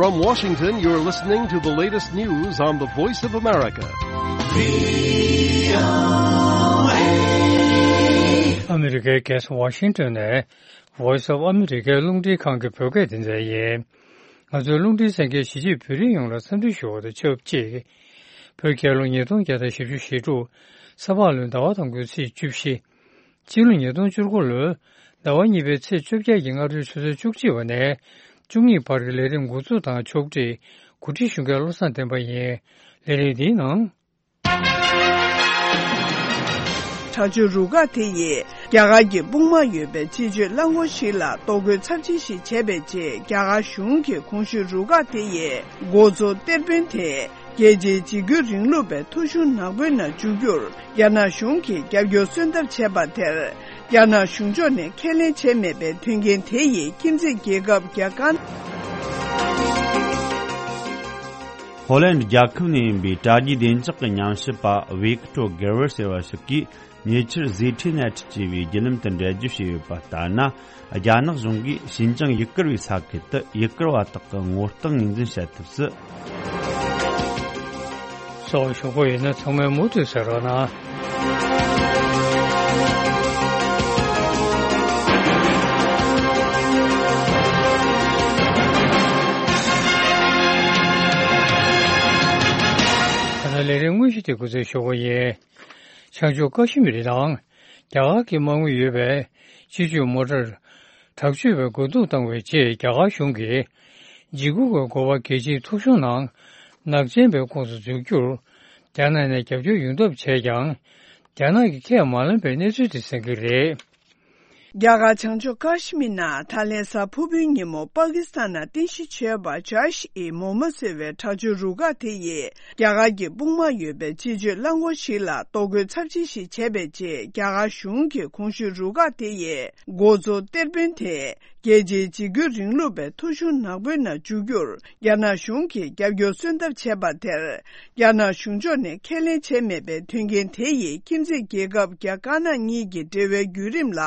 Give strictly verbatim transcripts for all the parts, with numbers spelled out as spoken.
From Washington, you're listening to the latest news on the Voice of America. ཨ་མི་རི་ཀའི་རྒྱལ་ས་ཝ་ཤིང་ཏོན་ནས་Voice of America རླུང་འཕྲིན་ཁང་གི་བོད་སྐད་སྡེ་ཚན་ཡིན། ང་ཚོའི་རླུང་འཕྲིན་གསན་མཁན་གཞིས་བྱེས་བོད་རིགས་ཡོངས་ལ་འཚམས་འདྲི་ཞུ་བ་དང་ཆབས་ཅིག་བོད་རྒྱལ་ལོ་ཉིས་སྟོང་བརྒྱ་དང་བཞི་བཅུ་ཞེ་དྲུག་ས་ཕག་ལོའི་ཟླ་བ་དང་པོའི་ཚེས་བཅུ་བཞི། སྤྱི་ལོ་ཉིས་སྟོང་བཅུ་དགུ་ལོའི་ཟླ་བ་གཉིས་པའི་ཚེས་བཅོ་བརྒྱད་ཀྱི་སྔ་དྲོའི་ཆུ་ཚོད་བཅུ་གཅིག་པ་ནས་བཅུ་གཉིས་བར་གྱི་ལས་རིམ་འགོ་འཛུགས་དང་ཕྱོགས་སྒྲིག་གོ་སྒྲིག་ཞུ་མཁན་བློ་བཟང་བསྟན་པ་ཡིན། ལས་རིམ་འདིའི་ནང་། དྲག་སྤྱོད་རུ་ཁག་དེ་ཡིས་རྒྱ་གར་གྱི་དཔུང་དམག་ཡོད་པའི་སྤྱི་སྤྱོད་རླངས་འཁོར་ཞིག་ལ་གཏོར་རྒོལ་ཚབས་ཆེན་ཞིག་བྱས་པའི་རྗེས། རྒྱ་གར་གཞུང་གིས་གོང་ཞུས་རུ་ཁག་དེ་ཡི་འགོ་གཙོ་གཏེར་དཔོན་དེ། རྒྱལ་སྤྱིའི་འཇིགས་སྐུལ་རིང་ལུགས་པའི་ཐོ་གཞུང་ནག་པོའི་ནང་འཇུག་རྒྱུར་རྒྱ་ནག་གཞུང་གིས་རྒྱབ་སྐྱོར་སོན་ཐབས་བྱས་པ་དེར། རྒྱ་ནག་གཞུང་ཕྱོགས་ནས་ཁས་ལེན་བྱས་མེད་པའི་མཐུན་རྐྱེན་དེ་ཡིས་ཁྱིམ་མཚེས་རྒྱལ་ཁབ་རྒྱ་གར། ཧོ་ལན་རྒྱལ་ཁབ་ནས་ཡིན་པའི་དྲ་རྒྱའི་བདེ་འཇགས་ཀྱི་ཉམས་ཞིབ་པ་ཝིག་ཏྲོ་གེར་ཝར་ཟེར་བ་ཞིག་གིས། ཉེ་ཆར་ཟི་ཁྲི་ནེ་ཊི་ཅེས་པའི་བརྒྱུད་ལམ་དུ་འགྲེལ་བརྗོད་བྱས་ཡོད་པ་ལྟར་ན། རྒྱ་ནག་གཞུང་གིས་ཞིན་ཅང་ཡུལ་གར་བའི་ས་ཁུལ་དུ་ཡུལ་གར་བ་དག་གི་ངོ་རྟགས་ངོས་འཛིན་བྱ་ཐབས་སུ། སོགས་ཞུ་གི་ཡོད་ན་ཚང་མས་མུ་མཐུད་གསན་རོགས་གནང་། ད་ལྟ་ལས་རིམ་དངོས་གཞི་དེ་འགོ་འཛུགས་ཞུ་གི་ཡིན། བྱང་ཕྱོགས་ཀ་ཤི་མིར་དང་རྒྱ་གར་གྱི་དམག་མི་ཡོད་པའི་སྤྱི་སྤྱོད་མོ་ཊར་དྲག་སྤྱོད་པས་རྒོལ་རྡུང་བཏང་བའི་རྗེས། རྒྱ་གར་གཞུང་གིས་འཇིགས་སྐུལ་གྱི་འགོ་པ་རྒྱལ་སྤྱིའི་ཐོ་གཞུང་ནང་ནག་ཅན་པའི་ཁོངས་སུ་འཛུལ་རྒྱུར་རྒྱ་ནག་ནས་རྒྱབ་སྐྱོར་ཡོང་ཐབས་བྱས་ཀྱང་། རྒྱ་ནག་གིས་ཁས་མ་ལེན་པའི་གནས་ཚུལ་དེ་གསན་གྱི་རེད། རྒྱ་གར་བྱང་ཕྱོགས་ཀ་ཤི་མིར་ནང་ད་ལན་གཟའ་ཕུར་བུའི་ཉིན་མོ་པ་ཀི་སི་ཐན་ནང་རྟེན་གཞི་བྱས་པ་ཇཱ་ཤི་ཨི་མོ་མ་ཟེར་བའི་དྲག་སྤྱོད་རུ་ཁག་དེ་ཡིས། རྒྱ་གར་གྱི་དཔུང་དམག་ཡོད་པའི་སྤྱི་སྤྱོད་རླངས་འཁོར་ཞིག་ལ་གཏོར་རྒོལ་ཚབས་ཆེན་ཞིག་བྱས་པའི་རྗེས། རྒྱ་གར་གཞུང་གིས་གོང་ཞུས་རུ་ཁག་དེ་ཡི་འགོ་གཙོ་གཏེར་དཔོན་དེ། རྒྱལ་སྤྱིའི་འཇིགས་སྐུལ་རིང་ལུགས་པའི་ཐོ་གཞུང་ནག་པོའི་ནང་འཇུག་རྒྱུར་རྒྱ་ནག་གཞུང་གིས་རྒྱབ་སྐྱོར་སོན་ཐབས་བྱས་པ་དེར། རྒྱ་ནག་གཞུང་ཕྱོགས་ནས་ཁས་ལེན་བྱས་མེད་པའི་མཐུན་རྐྱེན་དེ་ཡིས་ཁྱིམ་མཚེས་རྒྱལ་ཁབ་རྒྱ་དཀར་ནག་གཉིས་ཀྱི་འབྲེལ་བའི་བརྒྱུད་རིམ་ལ་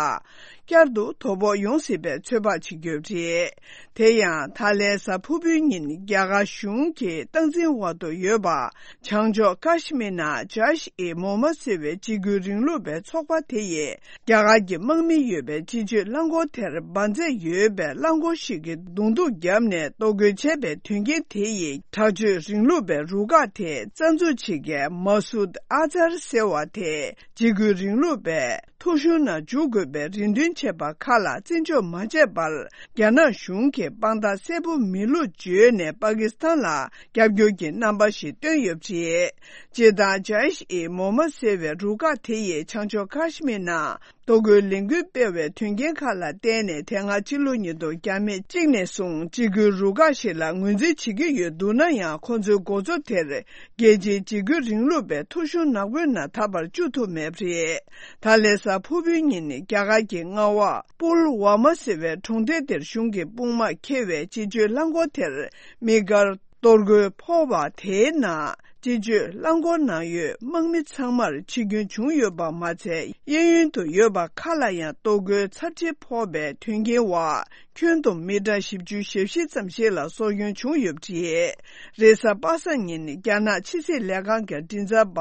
བསྐྱར་དུ་དོ་ཕོག་ཡོང་སྲིད་པའི་ཚོད་དཔག་བྱེད་ཀྱི་ཡོད་པ་རེད། དེ་ཡང་ད་ལན་གཟའ་ཕུར་བུའི་ཉིན་རྒྱ་གར་གཞུང་གི་སྟངས་འཛིན་འོག་ཏུ་ཡོད་པ། བྱང་ཕྱོགས་ཀ་ཤི་མིར་ནང་ཇཱ་ཤི་ཨི་མོ་མ་ཟེར་བའི་འཇིགས་སྐུལ་རིང་ལུགས་པའི་ཚོགས་པ་དེ་ཡིས། རྒྱ་གར་གྱི་དམག་མི་ཡོད་པའི་སྤྱི་སྤྱོད་རླངས་འཁོར་དེར་འབར་རྫས་ཡོད་པའི་རླངས་འཁོར་ཞིག་གིས་རྡུང་རྡེག་བརྒྱབ་ནས་གཏོར་རྒོལ་བྱས་པའི་དོན་རྐྱེན་དེ་ཡིས། དྲག་སྤྱོད་རིང་ལུགས་པའི་རུ་ཁག་དེའི་རྩ་འཛུགས་བྱེད་མཁན་མ་སུད་ཨ་ཛར་ཟེར་བ་དེ། འཇིགས་སྐུལ་རིང་ལུགས་པའི་ཐོ་གཞུང་ནང་འཇུག་དགོས་པའི་རེ་འདུན་བྱས་པ་ཁག་ལ་བརྩི་འཇོག་མ་བྱས་པར། རྒྱ་ནག་གཞུང་གིས་དཔང་རྟགས་གསལ་པོ་མེད་ལུགས་བརྗོད་ནས་པ་ཀི་སི་ཐན་ལ་རྒྱབ་སྐྱོར་གྱི་རྣམ་པ་ཞིག་བཏོན་ཡོད་པ་རེད། སྤྱིར་བཏང་ཇཱ་ཤི་ཨི་མོ་མ་ཟེར་བའི་རུ་ཁག་དེ་ཡིས་བྱང་ཕྱོགས་ཀ་ཤི་མིར་ནང་གཏོར་རྒོལ་ལས་འགུལ་སྤེལ་བའི་དོན་རྐྱེན་ཁག་ལ་བརྟེན་ནས། དེ་སྔ་སྤྱི་ལོ་ཉིས་སྟོང་བརྒྱ་མེད་གཅིག་ནས་བཟུང་འཇིགས་སྐུལ་རུ་ཁག་ཞིག་ལ་ངོས་འཛིན་བྱེད་ཀྱི་ཡོད་འདུག་ན་ཡང་། ཁོ་ཚོའི་འགོ་གཙོ་དེར་རྒྱལ་སྤྱིའི་འཇིགས་སྐུལ་རིང་ལུགས་པའི་ཐོ་གཞུང་ནག་པོའི་ནང་ད་བར་བཅུག་ཐུབ་མེད་པ་རེད། ད་ལན་གཟའ་ཕུར་བུའི་ཉིན་རྒྱ་གར་གྱི་མངའ་འོག་པུལ་ཝ་མ་ཟེར་བའི་གྲོང་རྡལ་དེར་གཞུང་གི་དཔུང་དམག་འཁྱེར་བའི་སྤྱི་སྤྱོད་རླངས་འཁོར་དེར་དམིགས་བཀར་གཏོར་རྒོལ་ཕོག་པ་དེའི་ནང་། སྤྱི་སྤྱོད་རླངས་འཁོར་ནང་ཡོད་དམག་མི་ཚང་མར་འཆི་སྐྱོན་བྱུང་ཡོད་པ་མ་ཚད། གཡས་གཡོན་དུ་ཡོད་པ་ཁག་ལ་ཡང་གཏོར་རྒོལ་ཚབས་ཆེ་ཕོག་པའི་དོན་རྐྱེན་འོག་ཁྱོན་བསྡོམས་མི་གྲངས་བཞི་བཅུ་ཞེ་བཞི་ཙམ་ཞིག་ལ་སྲོག་སྐྱོན་བྱུང་ཡོད་པ་རེད། རེས་གཟའ་པ་སངས་ཉིན་རྒྱ་ནག་ཕྱི་སྲིད་ལས་ཁང་གི་མགྲིན་ཚབ་པ་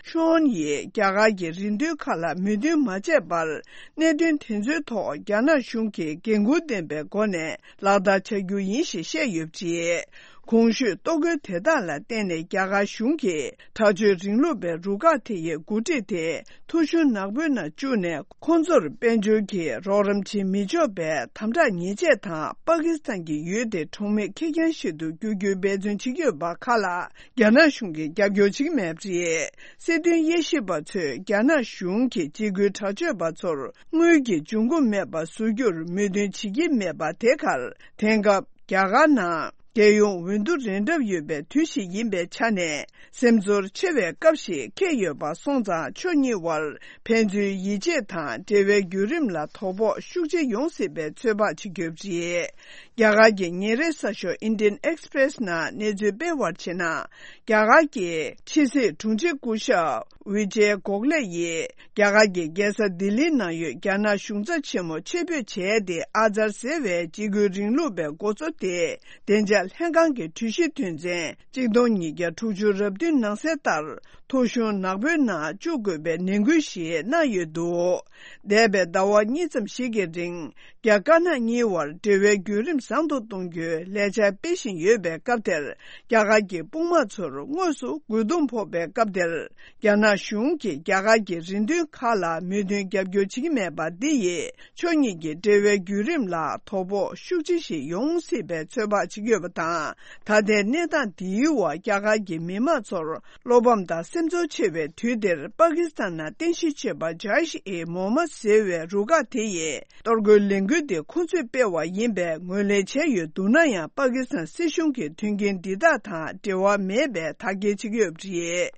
ཤོན་ཡིས་རྒྱ་གར་གྱི་རེ་འདུན་ཁག་ལ་མོས་མཐུན་མ་བྱས་པར། གནད་དོན་དེ་ཚོའི་ཐོག་རྒྱ་ནག་གཞུང་གིས་འགན་འཁུར་ལྡན་པའི་སྒོ་ནས་ལག་བསྟར་བྱ་རྒྱུ་ཡིན་ཞེས་བཤད་ཡོད་པ་རེད། གོང་ཞུས་གཏོར་རྒོལ་དེ་དག་ལ་བརྟེན་ནས་རྒྱ་གར་གཞུང་གིས་དྲག་སྤྱོད་རིང་ལུགས་པའི་རུ་ཁག་དེ་ཡི་འགོ་ཁྲིད་དེ་ཐོ་གཞུང་ནག་པོའི་ནང་བཅུག་ནས། ཁོང་ཚོར་དཔལ་འབྱོར་གྱི་རོགས་རམ་བྱེད་མི་ཆོག་པའི་དམ་དྲག་ཉེས་ཆད་དང་། པ་ཀི་སི་ཐན་གྱི་ཡུལ་དེ་གྲོང་མི་ཁེར་རྐྱང་ཞིག་ཏུ་འགྱུར་རྒྱུའི་འབད་བརྩོན་བྱེད་ཀྱི་ཡོད་པ་ཁག་ལ་རྒྱ་ནག་གཞུང་གིས་རྒྱབ་སྐྱོར་བྱེད་ཀྱི་མེད་པ་རེད། སྲིད་དོན་དབྱེ་ཞིབ་པ་ཚོས་རྒྱ་ནག་གཞུང་གིས་འཇིགས་སྐུལ་དྲག་སྤྱོད་པ་ཚོར་དངུལ་གྱི་འབྱུང་ཁུངས་མེད་པ་བཟོ་རྒྱུར་མོས་མཐུན་བྱེད་ཀྱི་མེད་པ་དེ་ཁར། དེང་སྐབས་རྒྱ་གར་ནང་རྒྱལ་ཡོངས་འོས་བསྡུ་རན་གྲབས་ཡོད་པའི་དུས་ཤིག་ཡིན་པའི་ཆ་ནས། སེམས་ཚོར་ཆེ་བའི་སྐབས་ཤིག་འཁེལ་ཡོད་པ་སོང་ཙང་། ཕྱོགས་གཉིས་དབར་ཕན་ཚུན་ཡིད་ཆེས་དང་འབྲེལ་བའི་བརྒྱུད་རིམ་ལ་དོ་ཕོག་ཤུགས་ཆེ་ཡོང་སྲིད་པའི་ཚོད་དཔག་བྱེད་ཀྱི་ཡོད་པ་རེད། རྒྱ་གར་གྱི་ཉིན་རེའི་གསར་ཤོག་Indian Express ནང་གནས་ཚུལ་སྤེལ་བར་བྱས་ན། རྒྱ་གར་གྱི་ཕྱི་སྲིད་དྲུང་ཆེ་སྐུ་ཞབས་ཝི་ཇེ་གོག་ལེ་ཡིས། རྒྱ་གར་གྱི་རྒྱལ་ས་ལྡི་ལིའི་ནང་ཡོད་རྒྱ་ནག་གཞུང་ཚབ་ཆེན་མོ་ཆེད་ཕེབས་བྱས་ཏེ། ཨ་ཛར་ཟེར་བའི་འཇིགས་སྐུལ་རིང་ལུགས་པའི་འགོ་གཙོ་དེ་བདེ་འཇགས་ ལྷན་ཁང་གི་གྲོས་གཞི་དོན་ཚན་གཅིག་སྟོང་ཉིས་བརྒྱ་དྲུག་ཅུ་རེ་བདུན་ནང་གསལ་ལྟར། ཐོ་གཞུང་ནག་པོའི་ནང་བཅུག་དགོས་པའི་ནན་སྐུལ་ཞིག་གནང་ཡོད་འདུག་འདས་པའི་ཟླ་བ་གཉིས་ཙམ་ཞིག་གི་རིང་། རྒྱ་དཀར་ནག་གཉིས་བར་འབྲེལ་བའི་བརྒྱུད་རིམ་བཟང་དུ་གཏོང་རྒྱུའི་ལས་འཆར་སྤེལ་བཞིན་ཡོད་པའི་སྐབས་དེར། རྒྱ་གར་གྱི་དཔུང་དམག་ཚོར་དངོས་སུ་རྒོལ་རྡུང་ཕོག་པའི་སྐབས་དེར། རྒྱ་ནག་གཞུང་གིས་རྒྱ་གར་གྱི་རེ་འདུན་ཁག་ལ་མོས་མཐུན་རྒྱབ་སྐྱོར་བྱེད་ཀྱི་མེད་པ་འདི་ཡིས། ཕྱོགས་གཉིས་ཀྱི་འབྲེལ་བའི་བརྒྱུད་རིམ་ལ་དོ་ཕོག་ཤུགས་ཆེ་ཞིག་ཡོང་སྲིད་པའི་ཚོད་དཔག་བྱེད་ཀྱི་ཡོད་པ་དང་། ད་ལྟའི་གནས་སྟངས་འདིའི་འོག་རྒྱ་གར་གྱི་མི་དམངས་ཚོར་བློ་ཕམ་དང་སེམས་ཚོར་ཆེ་བའི་དུས་འདིར། པ་ཀི་སི་ཐན་ནང་རྟེན་གཞི་བྱས་པ་ཇཱ་ཤི་ཨི་མོ་མ་ཟེར་བའི་རུ་ཁག་དེ་ཡིས། གཏོར་རྒོལ་ལས་འགུལ་དེ་ཁོ་ཚོས་སྤེལ་བ་ཡིན་པའི་ངོས་ལེན་བྱས་ཡོད་འདུག་ན་ཡང་། པ་ཀི་སི་ཐན་སྲིད་གཞུང་གིས་མཐུན་རྐྱེན་འདི་དག་དང་འབྲེལ་བ་མེད་པའི་དག་སྐྱེལ་བྱེད་ཀྱི་ཡོད་པ་རེད།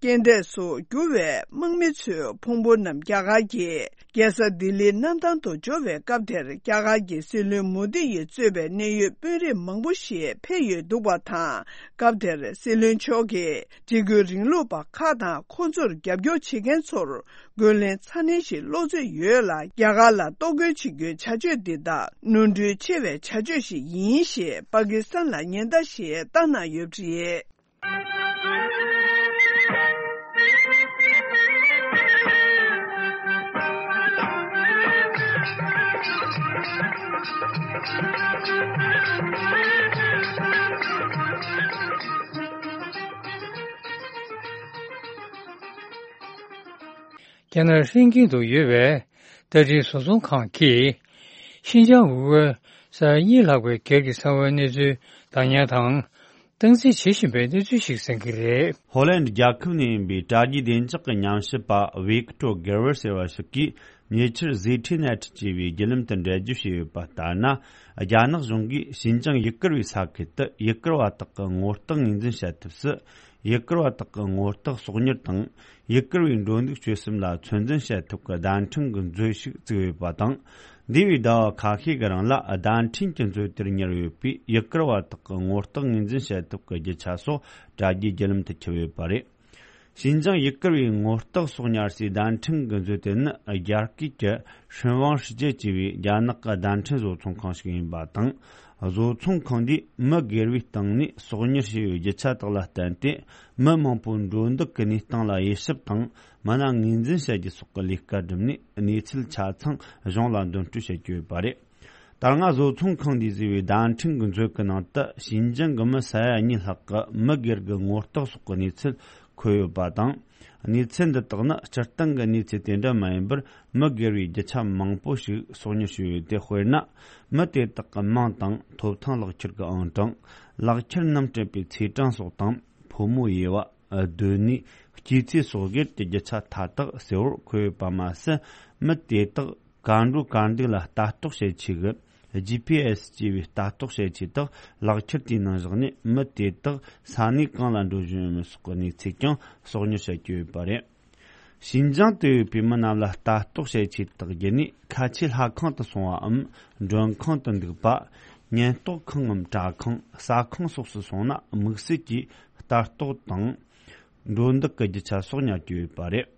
རྐྱེན་འདས་སུ་གྱུར་བའི་དམག་མི་ཚོའི་ཕུང་པོ་རྣམས་རྒྱ་གར་གྱི་རྒྱལ་ས་ལྡི་ལིའི་གནམ་ཐང་དུ་འབྱོར་བའི་སྐབས་དེར། རྒྱ་གར་གྱི་སྲིད་བློན་མོ་དི་ཡིས་གཙོས་པའི་གནད་ཡོད་དཔོན་རིགས་མང་པོ་ཞིག་ཕེབས་ཡོད་འདུག་པ་དང་། སྐབས་དེར་སྲིད་བློན་མཆོག་གིས་འཇིགས་སྐུལ་རིང་ལུགས་པ་ཁག་དང་། ཁོ་ཚོར་རྒྱབ་སྐྱོར་བྱེད་མཁན་ཚོར་རྒོལ་ལན་ཚ་ནན་ཞིག་སློག་རྩིས་ཡོད་ལ། རྒྱ་གར་ལ་གཏོར་རྒོལ་བྱེད་རྒྱུའི་བྱ་སྤྱོད་འདི་དག་ནོར་འཁྲུལ་ཆེ་བའི་བྱ་སྤྱོད་ཞིག་ཡིན་ཞེས་པ་ཀི་སི་ཐན་ལ་ཉེན་བརྡ་ཞིག་བཏང་གནང་ཡོད་པ་རེད། རྒྱ་ནག་ཧྲེང་ཀིན་དུ་ཡོད་པའི་ཏ་ཀྲིན་བཟོ་ཚོང་ཁང་གིས། ཤིན་ཅང་ཝུའུ་ཝེ་ས་ཡ་གཉིས་ལྷག་པའི་སྒེར་གྱི་ས་བོན་གནས་ཚུལ་བདག་ཉར་དང་། སྟངས་འཛིན་བྱེད་བཞིན་པའི་གནས་ཚུལ་ཞིག་གསན་གྱི་རེད། ཧོ་ལན་རྒྱལ་ཁབ་ནས་ཡིན་པའི་དྲ་རྒྱའི་བདེ་འཇགས་ཀྱི་ཉམས་ཞིབ་པ་ཝིག་ཏོར་གེ་ཝར་ཟེར་བ་ཞིག་གིས། ཉེ་ཆར་ཟི་ཁྲི་ནེ་ཊི་ཅེས་པའི་བརྒྱུད་ལམ་དུ་འགྲེལ་བརྗོད་བྱས་ཡོད་པ་ལྟར་ན། རྒྱ་ནག་གཞུང་གིས་ཤིན་ཅང་ཡུ་གུར་བའི་ས་ཁུལ་དུ་ཡུ་གུར་བ་དག་གི་ངོ་རྟགས་ངོས་འཛིན་བྱ་ཐབས་སུ། ཡུ་གུར་བ་དག་གི་ངོ་རྟགས་སོག་གཉེར་དང་། ཡུ་གུར་བའི་འགྲོ་འདུག་སྤྱོད་གསུམ་ལ་ཚོད་འཛིན་བྱ་ཐབས་ཀྱི་བརྡ་འཕྲིན་གྱི་མཛོད་ཞིག་བཙུགས་ཡོད་པ་དང་། འདས་པའི་ཟླ་བ་ཁ་ཤས་ཀྱི་རིང་ལ་བརྡ་འཕྲིན་གྱི་མཛོད་དེར་ཉར་ཡོད་པའི་ཡུ་གུར་བ་དག་གི་ངོ་རྟགས་ངོས་འཛིན་བྱ་ཐབས་ཀྱི་རྒྱུ་ཆ་སོགས་དྲ་རྒྱའི་བརྒྱུད་ལམ་དུ་ཁྱབ་ཡོད་པ་རེད། ཤིན་ཅང་ཡུ་གུར་བའི་ངོ་རྟགས་སོགས་ཉར་སའི་བརྡ་འཕྲིན་གྱི་མཛོད་དེ་ནི། རྒྱ་སྐད་ཀྱི་ཧྲིན་ཝང་ཧྲི་ཅེ་ཅེས་པའི་རྒྱ་ནག་གི་བརྡ་འཕྲིན་བཟོ་ཚོང་ཁང་ཞིག་ཡིན་པ་དང་། བཟོ་ཚོང་ཁང་འདིས་མི་སྒེར་བའི་སྟེང་ནས་སོག་གཉེར་བྱས་པའི་རྒྱུ་ཆ་དག་ལ་བརྟེན་ཏེ། མི་མང་པོའི་འགྲོ་འདུག་གི་གནས་སྟངས་ལ་དབྱེ་ཞིབ་དང་། མི་སྣ་ངོས་འཛིན་བྱ་རྒྱུ་སོགས་ཀྱི་ལས་ཀ་བསྒྲུབས་ནས། གནས་ཚུལ་ཆ་ཚང་གཞུང་ལ་འདོན་སྤྲོད་བྱེད་ཀྱི་ཡོད་པ་རེད། ད་སྔ་བཟོ་ཚོང་ཁང་འདིས་བཟོས་པའི་བརྡ་འཕྲིན་གྱི་མཛོད་ཀྱི་ནང་དུ། ཤིན་ཅང་གི་མི་ས་ཡ་གཉིས་ལྷག་གི་མི་སྒེར་གྱི་ངོ་རྟགས་སོགས་ཀྱི་གནས་ཚུལ་འཁོད་ཡོད་པ་དང་། གནས་ཚུལ་འདི་དག་ནི་སྤྱིར་བཏང་གི་གནས་ཚུལ་དེ་འདྲ་མ་ཡིན་པར། མི་སྒེར་བའི་རྒྱུ་ཆ་མང་པོ་ཞིག་སོག་གཉེར་བྱས་ཡོད་དེ། དཔེར་ན། མི་དེ་དག་གི་མིང་དང་། ཐོབ་ཐང་། ལག་ཁྱེར་གྱི་ཨང་གྲངས། ལག་ཁྱེར་རྣམས་སྤྲད་པའི་ཚེས་གྲངས་སོགས་དང་། ཕོ་མོ་དབྱེ་བ། སྡོད་གནས། སྐྱེས་ཚེས་སོགས་སྒེར་གྱི་རྒྱུ་ཆ་མཐའ་དག་གསལ་བོར་འཁོད་ཡོད་པ་མ་ཟད། མི་དེ་དག་གར་འགྲོ་གར་འདུག་ལ་ལྟ་རྟོག་བྱེད་ཆེད་ཀྱི་ཇི་ཕི་ཨེ་སི་ཅེས་པའི་ལྟ་རྟོག་བྱེད་ཆས་དག་ལག་ཁྱེར་དེའི་ནང་བཞག་ནས། མི་དེ་དག་ས་གནས་གང་ལ་འགྲོ་བཞིན་ཡོད་མེད་སོགས་ཀྱི་གནས་ཚུལ་ཀྱང་སོག་གཉེར་བྱ་རྒྱུ་ཡོད་པ་རེད། ཤིན་ཅང་དུ་ཡོད་པའི་མི་རྣམས་ལ་ལྟ་རྟོག་བྱེད་ཆས་དག་བརྒྱུད་ནས། ཁ་ཆེའི་ལྷ་ཁང་དུ་སོང་བའམ། མགྲོན་ཁང་དུ་འདུག་པ། ཉེན་རྟོག་ཁང་ངམ་དྲ་ཁང་། ཟ་ཁང་སོགས་སུ་སོང་ན། དམིགས་བསལ་གྱིས་ལྟ་རྟོག་དང་། འགྲོ་འདུག་གི་རྒྱུ་ཆ་སོགས་ཉར་གྱི་ཡོད་པ་རེད།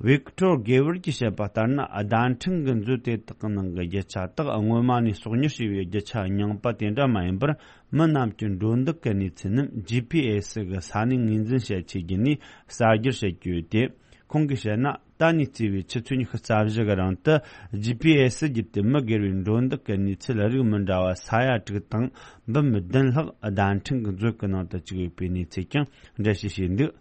ཝིག་ཏོར་གེ་ཝར་གྱིས་བཤད་པ་ལྟར་ན། བརྡ་འཕྲིན་གྱི་མཛོད་དེ་དག་གི་ནང་གི་རྒྱུ་ཆ་དག་སྔོན་མ་ནས་སོག་གཉེར་བྱས་པའི་རྒྱུ་ཆ་རྙིང་པ་དེ་འདྲ་མ་ཡིན་པར། མི་རྣམས་ཀྱི་འགྲོ་འདུག་གི་གནས་ཚུལ་རྣམས་ཇི་ཕི་ཨེ་སི་གི་ས་གནས་ངོས་འཛིན་བྱ་ཆེད་བརྒྱུད་ནས་གསར་བསྒྱུར་བྱེད་ཀྱི་ཡོད་དེ། ཁོང་གིས་བཤད་ན། ད་ནས་བརྩིས་པའི་ཆུ་ཚོད་ཉི་ཤུ་རྩ་བཞི་གི་རིང་དུ་ཇི་ཕི་ཨེ་སི་བརྒྱུད་དེ་མི་སྒེར་བའི་འགྲོ་འདུག་གི་གནས་ཚུལ་རིགས་མི་འདྲ་བ་ས་ཡ་དྲུག་དང་འབུམ་བདུན་ལྷག་བརྡ་འཕྲིན་གྱི་མཛོད་ཀྱི་ནང་དུ་བཅུག་ཡོད་པའི་གནས་ཚུལ་ཀྱང་འགྲེལ་བཤད་བྱས་འདུག་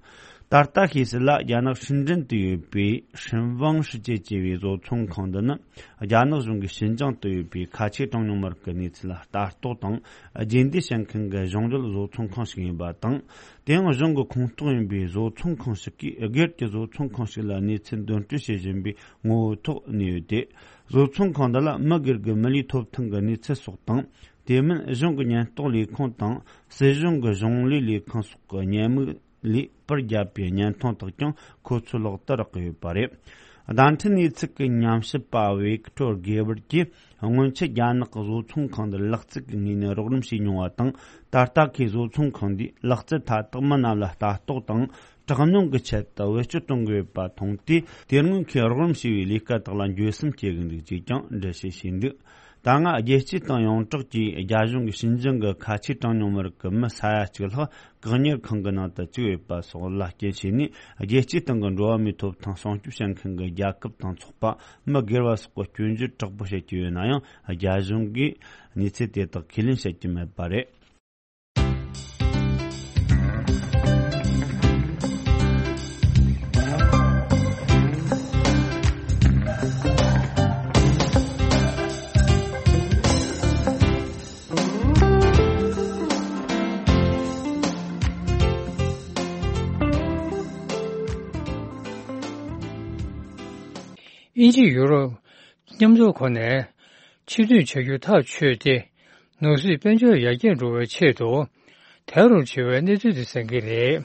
ད་ལྟ་ཤེས་གསལ་ལ། རྒྱ་ནག་ཧྲིན་ཀྲིན་དུ་ཡོད་པའི་ཧྲིན་ཝང་ཧྲི་ཅེ་ཅེས་པའི་བཟོ་ཚོང་ཁང་འདི་ནི། རྒྱ་ནག་གཞུང་གིས་ཤིན་ཅང་དུ་ཡོད་པའི་ཁ་ཆེ་གྲངས་ཉུང་མི་རིགས་ཀྱི་གནས་ཚུལ་ལ་ལྟ་རྟོག་དང་རྗེས་འདེད་བྱེད་མཁན་གྱི་གཞུང་འབྲེལ་བཟོ་ཚོང་ཁང་ཞིག་ཡིན་པ་དང་། དེའང་གཞུང་གི་ཁོངས་གཏོགས་ཡིན་པའི་བཟོ་ཚོང་ཁང་ཞིག་གིས་སྒེར་གྱི་བཟོ་ཚོང་ཁང་ཞིག་ལ་གནས་ཚུལ་འདོན་སྤྲོད་བྱེད་བཞིན་པའི་ངོ་བོའི་ཐོག་གནས་ཡོད་དེ། བཟོ་ཚོང་ཁང་འདི་ལ་མི་སྒེར་གྱི་མི་ལུས་ཐོབ་ཐང་གི་གནས་ཚུལ་སོགས་དང་། དེ་མིན་གཞུང་གི་ཉེན་རྟོག་ལས་ཁུངས་དང་སྲིད་གཞུང་གི་གཞུང་ལས་ལས་ཁང་སོགས་ཀྱི་ཉེས་དམིགས་ལས་པར་བརྒྱབ་པའི་བརྙན་ཐུང་དག་ཀྱང་ཁོ་ཚོའི་ལག་ཏུ་རག་གི་ཡོད་པ་རེད། བརྡ་འཕྲིན་གནས་ཚུལ་གྱི་ཉམས་ཞིབ་པ་ཝིག་ཏོར་གེ་ཝར་གྱིས། སྔོན་ཆད་རྒྱ་ནག་གི་བཟོ་ཚོང་ཁང་འདིར་ལག་རྩལ་གྱི་ངོས་ནས་རོགས་རམ་བྱས་མྱོང་བ་དང་། ད་ལྟ་ཁོས་བཟོ་ཚོང་ཁང་འདིས་ལག་རྩལ་མཐའ་དག་མི་རྣམས་ལ་ལྟ་རྟོག་དང་། དྲག་གནོན་གྱི་ཆེད་དུ་བེད་སྤྱོད་གཏོང་གི་ཡོད་པ་མཐོང་སྟེ། དེ་སྔོན་ཁོས་རོགས་རམ་བྱས་པའི་ལས་ཀ་དག་ལ་འགྱོད་སེམས་སྐྱེ་གི་འདུག་ཅེས་ཀྱང་འགྲེལ་བཤད་བྱས་འདུག་ད་སྔ་རྒྱལ་སྤྱིའི་སྟེང་ཡོངས་གྲགས་ཀྱིས་རྒྱ་གཞུང་གིས་ཞིན་ཅང་གི་ཁ་ཆེའི་གྲངས་ཉུང་མི་རིགས་ཀྱི་མི་ས་ཡ་གཅིག་ལྷག་བཀག་ཉར་ཁང་གི་ནང་དུ་བཅུག་ཡོད་པ་སོགས་ལ་རྐྱེན་བྱས་ནས། རྒྱལ་སྤྱིའི་སྟེང་གི་འགྲོ་བ་མིའི་ཐོབ་ཐང་སྲུང་སྐྱོབ་བྱེད་མཁན་གྱི་རྒྱལ་ཁབ་དང་ཚོགས་པ་མི་སྒེར་བ་སོགས་ཀྱིས་སྐྱོན་བརྗོད་དྲག་པོ་བྱེད་ཀྱི་ཡོད་ན་ཡང་། རྒྱ་གཞུང་གིས་གནས་ཚུལ་དེ་དག་ཁས་ལེན་བྱེད་ཀྱི་མེད་པ་རེད། དབྱིན་ཇི་ཡུ་རོབ་མཉམ་འཛོམས་ཁོ་ནས་ཕྱིར་ཐོན་བྱ་རྒྱུ་ཐག་ཆོད་དེ། ནོར་སྲིད་དཔལ་འབྱོར་ཡར་རྒྱས་འགྲོ་བའི་ཆེད་དུ་དལ་རུ་ཆེ་བའི་གནས་ཚུལ་དེ་གསན་གྱི་རེད།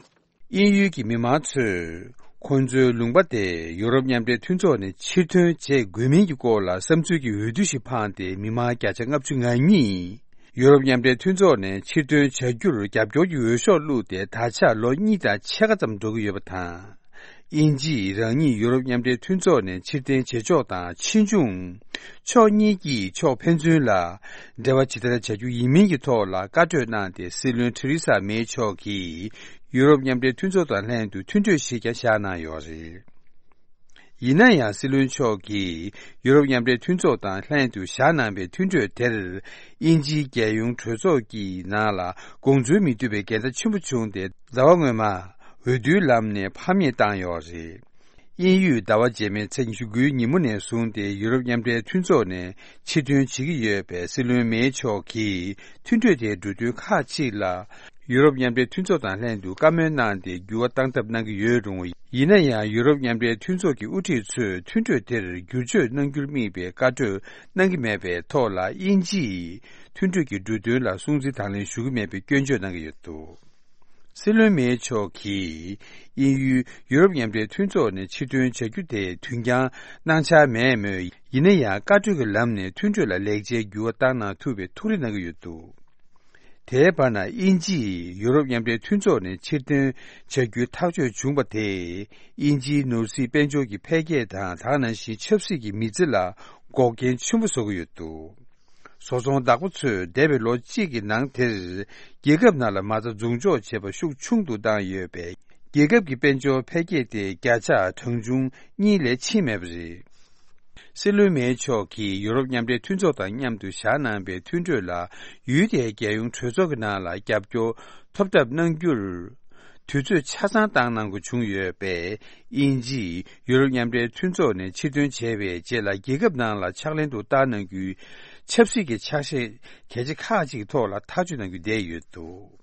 དབྱིན་ཡུལ་གྱི་མི་མང་ཚོས་ཁོང་ཚོའི་ལུང་པ་དེ་ཡུ་རོབ་མཉམ་འབྲེལ་མཐུན་ཚོགས་ནས་ཕྱིར་ཐོན་བྱེད་དགོས་མིན་གྱི་སྐོར་ལ་བསམ་ཚུལ་གྱི་འོས་བསྡུ་ཞིག་འཕངས་ཏེ། མི་མང་བརྒྱ་ཆ་ལྔ་བཅུ་ང་གཉིས་ཡུ་རོབ་མཉམ་འབྲེལ་མཐུན་ཚོགས་ནས་ཕྱིར་ཐོན་བྱ་རྒྱུར་རྒྱབ་སྐྱོར་གྱི་འོས་ཤོག་བླུགས་ཏེ། ད་ཆ་ལོ་གཉིས་དང་ཕྱེད་ཀ་ཙམ་འགྲོ་གི་ཡོད་པ་དང་། དབྱིན་ཇིས་རང་ཉིད་ཡུ་རོབ་མཉམ་འབྲེལ་མཐུན་ཚོགས་ནས་ཕྱིར་འཐེན་བྱེད་ཕྱོགས་དང་། ཕྱིས་འབྱུང་ཕྱོགས་གཉིས་ཀྱིས་ཕྱོགས་ཕན་ཚུན་ལ་འབྲེལ་བ་ཇི་ལྟར་བྱ་རྒྱུ་ཡིན་མིན་གྱི་ཐོག་ལ་བཀའ་གྲོས་གནང་སྟེ། སྲིད་བློན་ཐེ་རི་ས་མེ་མཆོག་གིས་ཡུ་རོབ་མཉམ་འབྲེལ་མཐུན་ཚོགས་དང་ལྷན་དུ་མཐུན་གྲོས་ཤིག་ཀྱང་བཞག་གནང་ཡོད་རེད། ཡིན་ན་ཡང་། སྲིད་བློན་མཆོག་གིས་ཡུ་རོབ་མཉམ་འབྲེལ་མཐུན་ཚོགས་དང་ལྷན་དུ་བཞག་གནང་པའི་མཐུན་གྲོས་དེར། དབྱིན་ཇིའི་རྒྱལ་ཡོངས་གྲོས་ཚོགས་ཀྱི་ནང་ལ་དགོངས་ཚུལ་མི་འདུས་པའི་འགལ་ཟླ་ཆེན་པོ་བྱུང་སྟེ། ཟླ་བ་སྔོན་མ་འོས་བསྡུའི་ལམ་ནས་ཕམ་ཉེས་བཏང་ཡོད་རེད། དབྱིན་ཡུལ་ཟླ་བ་རྗེས་མའི་ཚེས་ཉི་ཤུ་དགུའི་ཉིན་མོ་ནས་བཟུང་སྟེ། ཡུ་རོབ་མཉམ་འབྲེལ་མཐུན་ཚོགས་ནས་ཕྱིར་ཐོན་བྱེད་ཀྱི་ཡོད་པའི་སྲིད་བློན་མེ་མཆོག་གིས། མཐུན་གྲོས་དེའི་འབྲུ་དོན་ཁག་ཅིག་ལ། ཡུ་རོབ་མཉམ་འབྲེལ་མཐུན་ཚོགས་དང་ལྷན་དུ་བཀའ་མོལ་གནང་སྟེ། འགྱུར་བ་གཏང་ཐབས་གནང་གི་ཡོད་རུང་། ཡིན་ན་ཡང་། ཡུ་རོབ་མཉམ་འབྲེལ་མཐུན་ཚོགས་ཀྱི་དབུ་ཁྲིད་ཚོས་མཐུན་གྲོས་དེར་བསྒྱུར་བཅོས་གནང་རྒྱུར་དམིགས་པའི་བཀའ་གྲོས་གནང་གི་མེད་པའི་ཐོག་ལ། དབྱིན་ཇིས་མཐུན་གྲོས་ཀྱི་འབྲུ་དོན་ལ་སྲུང་བརྩི་དང་ལེན་ཞུ་གི་མེད་པའི་སྐྱོན་བརྗོད་གནང་གི་ཡོད་འདུག། སྲིད་བློན་མེ་མཆོག་གིས། དབྱིན་ཡུལ་ཡུ་རོབ་མཉམ་འབྲེལ་མཐུན་ཚོགས་ནས་ཕྱིར་ཐོན་བྱ་རྒྱུ་དེ་དུས་འགྱངས་གནང་འཆར་མེད་མོད། ཡིན་ན་ཡང་། བཀའ་གྲོས་ཀྱི་ལམ་ནས་མཐུན་གྲོས་ལ་ལེགས་ཆའི་འགྱུར་བ་བཏང་གནང་ཐུབ་པའི་ཐུགས་རེ་གནང་གི་ཡོད་འདུག། དེའི་བར་ན། དབྱིན་ཇིས་ཡུ་རོབ་མཉམ་འབྲེལ་མཐུན་ཚོགས་ནས་ཕྱིར་འཐེན་བྱ་རྒྱུའི་ཐག་གཅོད་བྱུང་བ་དེས། དབྱིན་ཇིའི་ནོར་སྲིད་དཔལ་འབྱོར་གྱི་འཕེལ་རྒྱས་དང་། ད་ག་ནང་བཞིན་ཆབ་སྲིད་ཀྱི་མི་ཚེ་ལ་འགོག་རྐྱེན་ཆེན་པོ་བཟོ་གི་ཡོད་འདུག། བཟོ་ཚོང་བདག་པོ་ཚོས་འདས་པའི་ལོ་གཅིག་གི་ནང་དེར། རྒྱལ་ཁབ་ནང་ལ་མ་རྩ་འཛུགས་འཇོག་བྱེད་པ་ཤུགས་ཆུང་དུ་བཏང་ཡོད་པས། རྒྱལ་ཁབ་ཀྱི་དཔལ་འབྱོར་འཕེལ་རྒྱས་དེ་བརྒྱ་ཆ་གྲངས་ཆུང་གཉིས་ལས་ཕྱིན་མེད་པ་རེད། སྲིད་བློན་མེ་མཆོག་གིས་ཡུ་རོབ་མཉམ་འབྲེལ་མཐུན་ཚོགས་དང་མཉམ་དུ་བཞག་གནང་པའི་མཐུན་གྲོས་ལ། ཡུལ་དེའི་རྒྱལ་ཡོངས་གྲོས་ཚོགས་ཀྱི་ནང་ལ་རྒྱབ་སྐྱོར་ཐོབ་ཐབས་གནང་རྒྱུར། དུས་ཚོད་ཆ་ཚང་བཏང་གནང་དགོས་བྱུང་ཡོད་པས། དབྱིན་ཇིས་ཡུ་རོབ་མཉམ་འབྲེལ་མཐུན་ཚོགས་ནས་ཕྱིར་ཐོན་བྱས་པའི་རྗེས་ལ། རྒྱལ་ཁབ་ནང་ལ་ཕྱག་ལེན་དུ་བསྟར་གནང་རྒྱུའི་ཆབ་སྲིད་ཀྱི་ཕྱག་བཞེས་གལ་ཆེ་ཁག་ཅིག་ཐོག་ལ་ཐག་གཅོད་གནང་རྒྱུ་བསྡད་ཡོད་འདུག།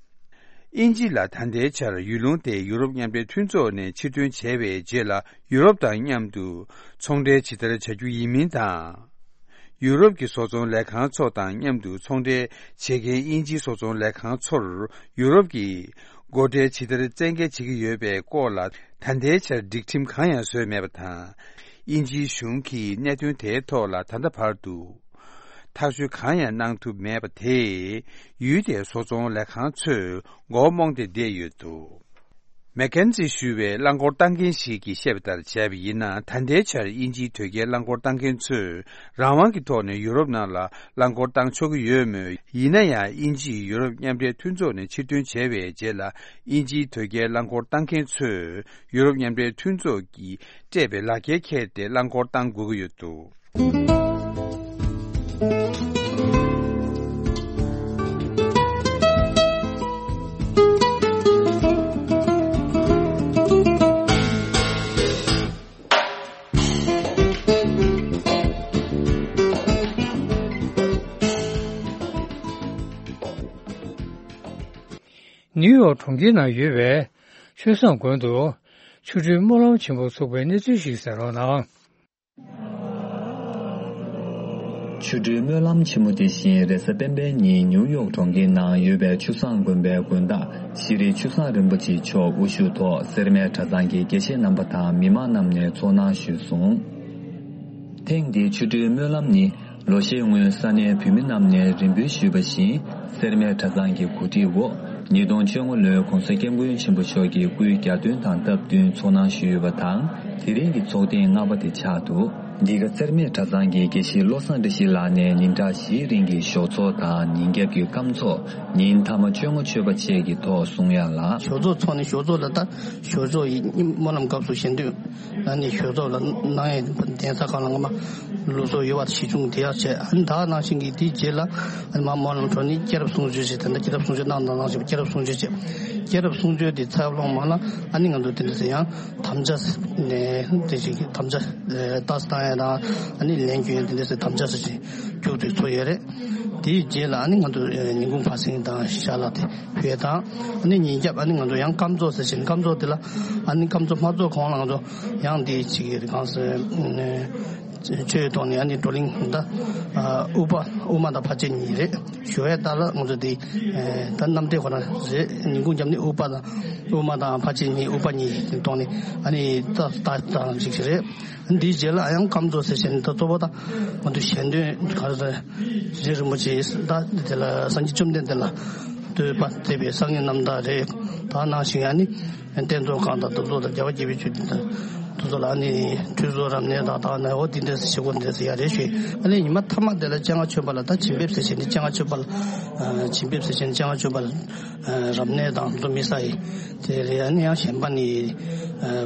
དབྱིན་ཇི་ལ་ད་ལྟའི་ཆར་ཡུལ་ལུང་དེ་ཡུ་རོབ་མཉམ་འབྲེལ་མཐུན་ཚོགས་ནས་ཕྱིར་ཐོན་བྱས་པའི་རྗེས་ལ། ཡུ་རོབ་དང་མཉམ་དུ་ཚོང་འབྲེལ་ཇི་ལྟར་བྱ་རྒྱུ་ཡིན་མིན་དང་། ཡུ་རོབ་ཀྱི་བཟོ་ཚོང་ལས་ཁང་ཚོ་དང་མཉམ་དུ་ཚོང་འབྲེལ་བྱེད་མཁན་དབྱིན་ཇིའི་བཟོ་ཚོང་ལས་ཁང་ཚོར། ཡུ་རོབ་ཀྱིས་སྒོ་ཁྲལ་ཇི་ལྟར་བཙན་འགེལ་བྱེད་ཀྱི་ཡོད་པའི་སྐོར་ལ། ད་ལྟའི་ཆར་སྒྲིག་ཁྲིམས་གང་ཡང་བཟོས་མེད་པ་དང་། དབྱིན་ཇིའི་གཞུང་གིས་གནད་དོན་དེའི་ཐོག་ལ་ད་ལྟ་བར་དུ། ཐག་གཅོད་གང་ཡང་གནང་ཐུབ་མེད་པ་དེས། ཡུལ་དེའི་བཟོ་ཚོང་ལས་ཁང་ཚོས་མགོ་རྨོངས་ཏེ་བསྡད་ཡོད་འདུག། མེག་ཀེན་ཛི་ཞུ་བའི་རླངས་འཁོར་བཏང་མཁན་ཞིག་གིས་བཤད་པ་ལྟར་བྱས་པ་ཡིན་ན། ད་ལྟའི་ཆར་དབྱིན་ཇིའི་དོས་སྐྱེལ་རླངས་འཁོར་བཏང་མཁན་ཚོས་རང་དབང་གི་ཐོག་ནས་ཡུ་རོབ་ནང་ལ་རླངས་འཁོར་བཏང་ཆོག་གི་ཡོད་མོད། ཡིན་ན་ཡང་། དབྱིན་ཇིས་ཡུ་རོབ་མཉམ་འབྲེལ་མཐུན་ཚོགས་ནས་ཕྱིར་འཐེན་བྱས་པའི་རྗེས་ལ། དབྱིན་ཇིའི་དོས་སྐྱེལ་རླངས་འཁོར་བཏང་མཁན་ཚོས་ཡུ་རོབ་མཉམ་འབྲེལ་མཐུན་ཚོགས་ཀྱིས་སྤྲད་པའི་ལག་འཁྱེར་འཁྱེར་ཏེ་རླངས་འཁོར་བཏང་དགོས་ཀྱི་ཡོད་འདུག། ནིའུ་ཡོག་གྲོང་ཁྱེར་ནང་ཡོད་པའི་ཆོས་བཟང་དགོན་དུ་ཆོ་འཕྲུལ་སྨོན་ལམ་ཆེན་མོ་ཚོགས་པའི་གནས་ཚུལ་ཞིག་གསན་རོགས་གནང་། ཆོ་འཕྲུལ་སྨོན་ལམ་ཆེན་མོ་དེ་བཞིན་རེས་གཟའ་སྤེན་པའི་ཉིན་ནིའུ་ཡོག་གྲོང་ཁྱེར་ནང་ཡོད་པའི་ཆོས་བཟང་དགོན་པའི་དགོན་བདག་ཤྲཱི་ཆོས་བཟང་རིན་པོ་ཆེ་མཆོག་དབུ་བཞུགས་ཐོག་སེར་སྨད་གྲྭ་ཚང་གི་དགེ་བཤེས་རྣམ་པ་དང་མི་མང་རྣམས་ནས་ཚོགས་གནང་ཞུས་སོང་། ཐེངས་འདིའི་ཆོ་འཕྲུལ་སྨོན་ལམ་ནི། ལོ་ཤས་སྔོན་ས་གནས་བོད་མི་རྣམས་ནས་རེ་འབོད་ཞུས་པ་བཞིན། སེར་སྨད་གྲྭ་ཚང་གི་གོ་སྒྲིག་འོག་ཉིས་སྟོང་བཅོ་ལྔ་ལོའི་༧གོང་ས་༧སྐྱབས་མགོན་ཆེན་པོ་མཆོག་གི་སྐུའི་གྱ་སྟོན་དང་སྟབས་བསྟུན་ཚོགས་གནང་ཞུས་ཡོད་པ་དང་། དེ་རིང་གི་ཚོགས་ཐེངས་ལྔ་པ་དེ་ཆགས་འདུག། འདི་ག་རྩེར་སྨད་གྲྭ་ཚང་གི་དགེ་བཤེས་བློ་བཟང་བཀྲ་ཤིས་ལགས་ནས་ཉིན་གྲངས་བཞིའི་རིང་གི་ཞོགས་ཚོགས་དང་ཉིན་རྒྱབ་ཀྱི་སྐམ་ཚོགས། ཉིན་མཐའ་མ་བཅོ་ལྔ་མཆོད་པ་བཅས་ཀྱི་ཐོག་གསུང་ཡ་ལ། ཞོགས་ཚོགས་ཚོགས་ནས་ཞོགས་ཚོགས་ལ་ད་ཞོགས་ཚོགས་ཡི་སྨོན་ལམ་སྐབས་སུ་ཞལ་འདོན་ཨ་ནི་ཞོགས་ཚོགས་ལ་གནང་ཡས་གདན་ས་ཁག་ལ་སྔ་མ་ལུགས་སྲོལ་ཡོད་པ་གཞི་བཟུང་དེ་ཡག་བྱས། ཨ་ནི་ད་ག་ནང་བཞིན་གྱི་དེའི་རྗེས་ལ་ཨ་ནི་མ་སྨོན་ལམ་གྲོལ་ནས་སྐྱེས་རབས་གསུང་ཆོས་བྱས། དེ་འདྲ་སྐྱེས་རབས་གསུང་ཆོས་གནང་དང་གནང་བཞིན་པ། སྐྱེས་རབས་གསུང་ཆོས་བྱས། སྐྱེས་རབས་གསུང་ཆོས་དེ་ཚར་ལོང་མ་ལ་ཨ་ནི་ང་ཚོ་དེ་འདྲ་ཟེར་ཡང་དམ་བཅའ་ནས་དེ་བཞིན་གྱི་དམ་བཅའ་ལྟ་སྟངས་ཡ་དང་ཨ་ནི་ལན་སྐྱོན་ཡ་དེ་འདྲ་ཟེར་དམ་བཅའ་ཟེར་ཞིང་མཇུག་སྒྲིལ་ཚོ་ཡོད་རེད། དེའི་རྗེས་ལ་ཨ་ནི་ང་ཚོ་ཉིན་གུང་ཕར་ཕྱིན་དང་ཞལ་ལག་དེ་ཕུལ་དང་། ཨ་ནི་ཉིན་རྒྱབ་ཨ་ནི་ང་ཚོ་ཡང་སྐམ་ཚོགས་ཟེར་ཞིང་སྐམ་ཚོགས་དེ་ལ་ཨ་ནི་སྐམ་ཚོགས་མ་ཚོགས་གོང་ལ་ང་ཚོ་ཡང་དེ་ཅིག་གི་གང་ཟེར་ཆོས་ཐོག་ནས་ཨ་ནི་བགྲོ་གླེང་ད་དབུ་པ་དབུ་མ་དང་ཕར་ཕྱིན་གཉིས་རེད། ཞུ་བའི་ད་ལ་ང་ཚོ་དེ་ད་གནམ་བདེ་ཁོ་ན་རེད། ཉིན་གུང་རྒྱབ་ནས་དབུ་པ་དང་དབུ་མ་དང་ཕར་ཕྱིན་གཉིས་དབུ་པ་གཉིས་ཐོག་ནས་ཨ་ནི་ད་ད་ད་ཅིག་རེད། འདིའི་རྗེས་ལ་ཡང་སྐམ་ཚོགས་ཟེར་བྱས་ནས་ད་གཙོ་བོ་ད་ང་ཚོ་ཞལ་འདོན་ག་རེ་རེད། རྗེ་རིན་པོ་ཆེ་ད་དེ་ལ་སངས་རྒྱས་བཅོམ་ལྡན་འདས་ལ་བསྟོད་པ་མཛད་པའི་བསང་གི་རྣམ་ཐར་རེད། ད་ནང་བཞིན་ཨ་ནི་རྟེན་གཙོ་ཁང་དང་དེ་ཚོ་དང་རྒྱལ་བ་དགྱེས་པའི་ཆོས་སྡེ་དང་དེ་ཚོ་ལ་ཨ་ནི་ཁྲུས་གསོལ་རབ་གནས་དང་དག་ན་འོ་དེ་འདྲ་ཞིག་གོ་འདྲ་ཟེར་ཡ་རེད་ཞུས། ཨ་ནི་ཉི་མ་མཐའ་མ་དེ་ལ་སྤྱན་སྔ་མཆོད་པ་ལ་ད་བྱིན་འབེབས་ཟེར་བྱས་ནས་སྤྱན་སྔ་མཆོད་པ་ལ་བྱིན་འབེབས་ཟེར་བྱས་ནས་སྤྱན་སྔ་མཆོད་པ་ལ། རབ་གནས་དང་དེ་ཚོ་དམིགས་བསལ་ཡིན། དེ་རེད། ཨ་ནི་ཡང་གཞན་པ་ནི་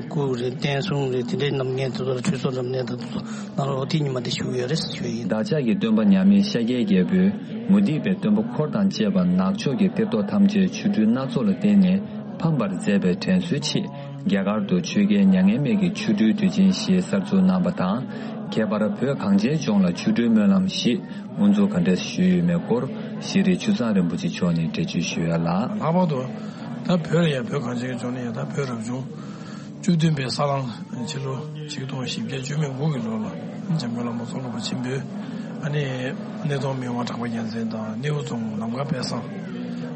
སྐུ་རེད། བསྟན་སྲུང་རེད། དེ་འདྲའི་རྣམ་ངན་དེ་ཚོ་ལ་ཁྲུས་གསོལ་རབ་གནས་དང་དེ་ཚོ་གནང་རོགས། དེ་ཉི་མ་དེ་ཞུ་གི་ཡོད་རེད་ཞུ་ཡིན། བདག་ཅག་གི་སྟོན་པ་མཉམ་མེད་ཤཱཀྱའི་རྒྱལ་པོས་མུ་སྟེགས་པའི་སྟོན་པ་འཁོར་དང་བཅས་པ་ནག་ཕྱོགས་ཀྱི་གཏེར་ཐོག་ཐམས་ཅད་ཆོ་འཕྲུལ་སྣ་ཚོགས་ལ་བརྟེན་ནས་ཕམ་པར་མཛད་པའི་དྲན་གསོའི་ཆེད། རྒྱ་གར་དུ་ཆོས་རྒྱལ་མྱ་ངན་མེད་ཀྱི་ཆོ་འཕྲུལ་དུས་ཆེན་ཞེས་གསར་འཛུགས་གནང་བ་དང་། ཁྱད་པར་བོད་གངས་ཅན་ལྗོངས་ལ་ཆོ་འཕྲུལ་སྨོན་ལམ་ཞེས་དབུ་འཛུགས་ག་འདྲས་ཞུས་ཡོད་མེད་སྐོར་ཤེས་རིག་ཆུ་ཚང་རིན་པོ་ཆེ་མཆོག་ནས་འགྲེལ་བརྗོད་ཞུ་ཡ་ལ། ལྷག་པར་དུ་ད་བོད་ལ་ཡང་བོད་གངས་ཅན་གྱི་ལྗོངས་ནས་ཡང་ད་བོད་རབ་བྱུང་བཅུ་བདུན་པའི་ས་གླང་ཕྱི་ལོ་ཆིག་སྟོང་བཞི་བརྒྱ་བཅུ་མེད་དགུ་གི་ལོ་ལ་འཇམ་མགོན་བླ་མ་ཙོང་ཁ་པ་ཆེན་པོས་ཨ་ནི་སྣེ་གདོང་མི་དབང་གྲགས་པ་རྒྱལ་མཚན་དང་སྣེའུ་རྫོང་ནམ་མཁའ་དཔལ་བཟང་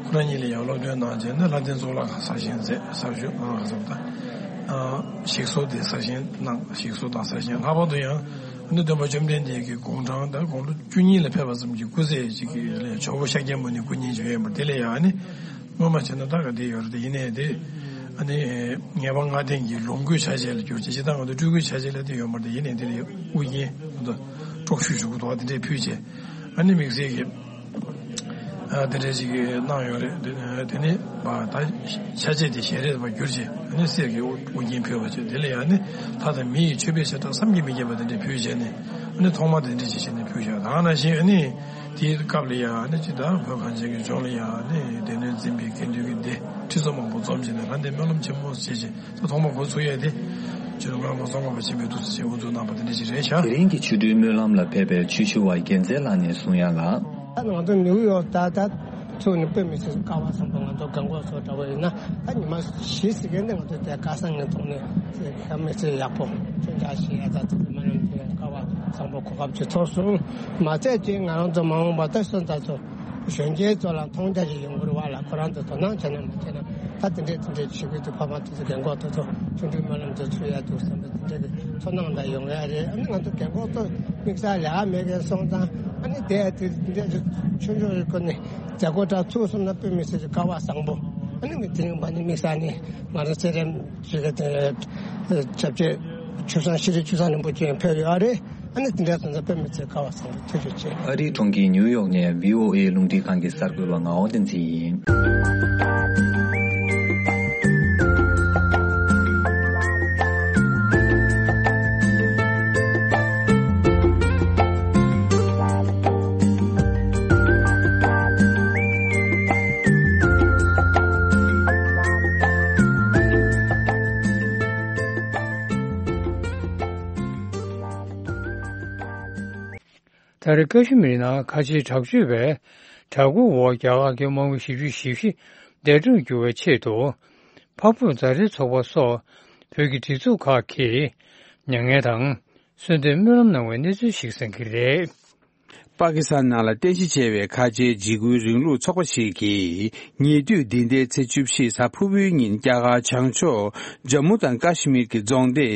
ཁོ་རང་གཉིས་ལ་ཡང་སློབ་སྟོན་གནང་རྗེས་ནས་ལྷ་ལྡན་གཙུག་ལག་ཁང་གསར་བཞེངས་མཛད། གསར་བཞེངས་གནང་ལ་སོགས་དང་ཞིག་གསོ་དེ་གསར་བཞེངས་གནང་། ཞིག་གསོ་དང་གསར་བཞེངས། ལྷག་པར་དུ་ཡང་ཨ་ནི་སྟོན་པ་བཅོམ་ལྡན་འདས་ཀྱི་དགུང་གྲངས་ད་དགུང་ལོ་བཅུ་གཉིས་ལ་ཕེབས་པ་ཙམ་གྱི་སྐུ་ཚེ་ཅིག་གི་ལས་ཇོ་བོ་ཤཱཀྱ་མུ་ནེ་སྐུ་བརྙན་ཅིག་ཡོད་ཡིན་པ་དེ་ལས་ཡང་ཨ་ནི་སྔོན་མ་བྱས་ན་ད་ག་དེ་ཡོད་རེད། དེ་ཡིན་ནའི་དེ་ཨ་ནི་ངེས་པ་ལྔ་ལྡན་གྱི་ལོངས་སྐུའི་ཆ་བྱད་ལ་གྱུར་ཅིག་ཅི་ད་ང་ཚོ་སྤྲུལ་སྐུའི་ཆ་བྱད་ལ་དེ་ཡོད་མ་རེད། དེ་ཡིན་ནའི་དེ་ལས་དབུ་རྒྱན་ང་ཚོ་དཀྲོག་ཤུལ་ཞུ་གི་འདུག་བ། དེ་འདྲས་ཕུལ་བྱས་ཨ་ནི་དམིགས་བསལ་གྱི་ཨ་དེ་འདྲས་ཅིག་གནང་ཡོད་རེད། དེ་དེ་ནས་ད་ཆ་བྱད་དེ་ཞལ་རས་པ་གྱུར་ཅིག་ཨ་ནི་གསེར་གྱི་དབུ་རྒྱན་ཕུལ་བ་བྱས། དེ་ལས་ཡང་ཨ་ནི་ལྷ་དང་མི་ཡི་མཆོད་པའི་བྱེ་བྲག་བསམ་གྱིས་མི་ཁྱབ་པ་དེ་འདྲས་ཕུལ་བྱས་ནས་ཨ་ནི་ཐོག་མར་དེ་འདྲས་ཅིག་བྱས་ནས་ཕུལ་བྱས། ད་ག་ནང་བཞིན་ཨ་ནི་དེའི་སྐབས་ལ་ཡང་ཨ་ནི་ཅི་ད་བོད་གངས་ཅན་གྱི་ལྗོངས་ལ་ཡང་ཨ་ནི་སྡེ་སྣོད་འཛིན་པའི་དགེ་འདུན་གྱི་སྡེ་ཁྲི་ཚོ་མང་པོ་འཛོམས་བྱས་ནས་ལྷ་ལྡན་སྨོན་ལམ་ཆེན་མོ་བྱས་བྱས། ད་ཐོག་མར་འགོ་ཚུགས་ཡས་དེ་སྤྱི་ནོར་མཁན་པོ་ཙོང་ཁ་པ་ཆེན་པོའི་ཐུགས་སུ་ཆེ་དབུ་འཛུགས་གནང་བ་དེ་འདྲ་ཞིག་རེད་ཤག་དེ་རིང་གི་ཆོ་འཕྲུལ་སྨོན་ལམ་ལ་ཕེབས་པའི་ཆོས་ཞུ་བ་རྒྱལ་མཚན་ལགས་ནས་གསུང་ཡ་ལ། ད་ང་ཚོ་ནིའུ་ཡོག་ད་ད་ཚུགས་ནས་དཔེ་མི་སྲིད་སྐལ་བ་བཟང་པོ། ང་ཚོ་རྒན་གོག་ཚོ་འདྲ་བོ་ཡིན་ན་ད་ཉི་མ་བཞི་ཟིན་མཁན་ནི་ང་ཚོ་དེ་སྐལ་བཟང་ངན་ཐོག་ནས་དཔེ་མི་སྲིད་ཡག་པོ་ཆོས་འཇགས་ཤིག་ཡ་ད་ཚོ་མ་ནམ་དེ་སྐལ་བ་བཟང་པོ་གོ་སྐབས་ཅིག་ཐོབ་སོང་། མ་ཚད་ཅིག་ང་རང་ཚོ་མ་འོངས་པ་ད་སོན་རྩ་ཚོ། གཞོན་སྐྱེས་ཚོ་ལ་མཐོང་རྒྱ་ཞིག་ཡོང་གི་རེད་བ་ལ། ཁོ་རང་ཚོ་དོ་སྣང་བྱས་ན་མ་བྱས་ན་ད་དེ་འདྲས་དེ་འདྲས་བྱེད་དགོས་འདུག་ཕ་མ་དེ་ཚོ་རྒན་གོག་དེ་ཚོ་ཆུང་དུས་སྨོན་ལམ་དེ་ཚུགས་ཡ་འདུག་བསམ་པའི་དེ་འདྲས་ཀྱི་ཚོར་སྣང་འདྲ་ཡོང་ཡ་རེད། ཨ་ནི་ང་ཚོ་རྒན་གོག་ཚོ་དམིགས་བསལ་ལས་ཀ་མེད་མཁན་སོང་ཙང་ཨ་ནི་དེ་དེ་འདྲས་ཆུང་ཆུང་རེད། ཁོ་ནི་མཛད་སྒོ་འདྲ་ཚུགས་སོང་ན་དཔེ་མི་སྲིད་ཀྱི་སྐལ་བ་བཟང་པོ། ཨ་ནི་མི་དེ་རིང་བ་ནི་དམིགས་བསལ་ནི་ང་རང་ཚེ་རིང་ཞིག་གི་དེ་སྐྱབས་རྗེ་ཆོས་བཟང་ཤེས་རིག་ཆོས་བཟང་རིན་པོ་ཆེ་ཕེབས་ཡོད་རེད། ཨ་ནི་དེ་འདྲ་སོང་ཙང་དཔེ་མི་སྲིད་སྐལ་བ་བཟང་པོ་ཐུགས་རྗེ་ཆེ། ཨ་རིའི་གྲོང་ཁྱེར་ཉིའུ་ཡོག་ནས་བྷི་ཨོ་ཨེ་རླུང་འཕྲིན་ཁང་གི་གསར་འགོད་པ་ངག་དབང་བསྟན་འཛིན་ཡིན། ད་རེས་ཀ་ཤི་མིར་ནང་ཁ་ཆེའི་དྲག་སྤྱོད་པས་དྲག་རྒོལ་འོག་རྒྱ་གར་གྱི་མང་པོ་བཞི་བཅུ་ཞེ་བཞི་འདས་གྲོངས་གྱུར་བའི་ཆེད་དུ། འཕགས་བོད་མཛའ་འབྲེལ་ཚོགས་པ་སོགས་བོད་ཀྱི་སྒྲིག་འཛུགས་ཁག་གིས་མྱ་ངན་དང་གསོལ་འདེབས་སྨོན་ལམ་གནང་བའི་གནས་ཚུལ་ཞིག་གསན་གྱི་རེད། པ་ཀི་སི་ཐན་ནང་ལ་རྟེན་གཞི་བྱས་པའི་ཁ་ཆེའི་འཇིགས་སྐུལ་རིང་ལུགས་ཚོགས་པ་ཞིག་གིས། ཉེ་དུས་འདི་ཟླའི་ཚེས་བཅུ་བཞི་གཟའ་ཕུར་བུའི་ཉིན། རྒྱ་གར་བྱང་ཕྱོགས་ཇམ་མུ་དང་ཀ་ཤི་མིར་གྱི་རྫོང་སྡེ་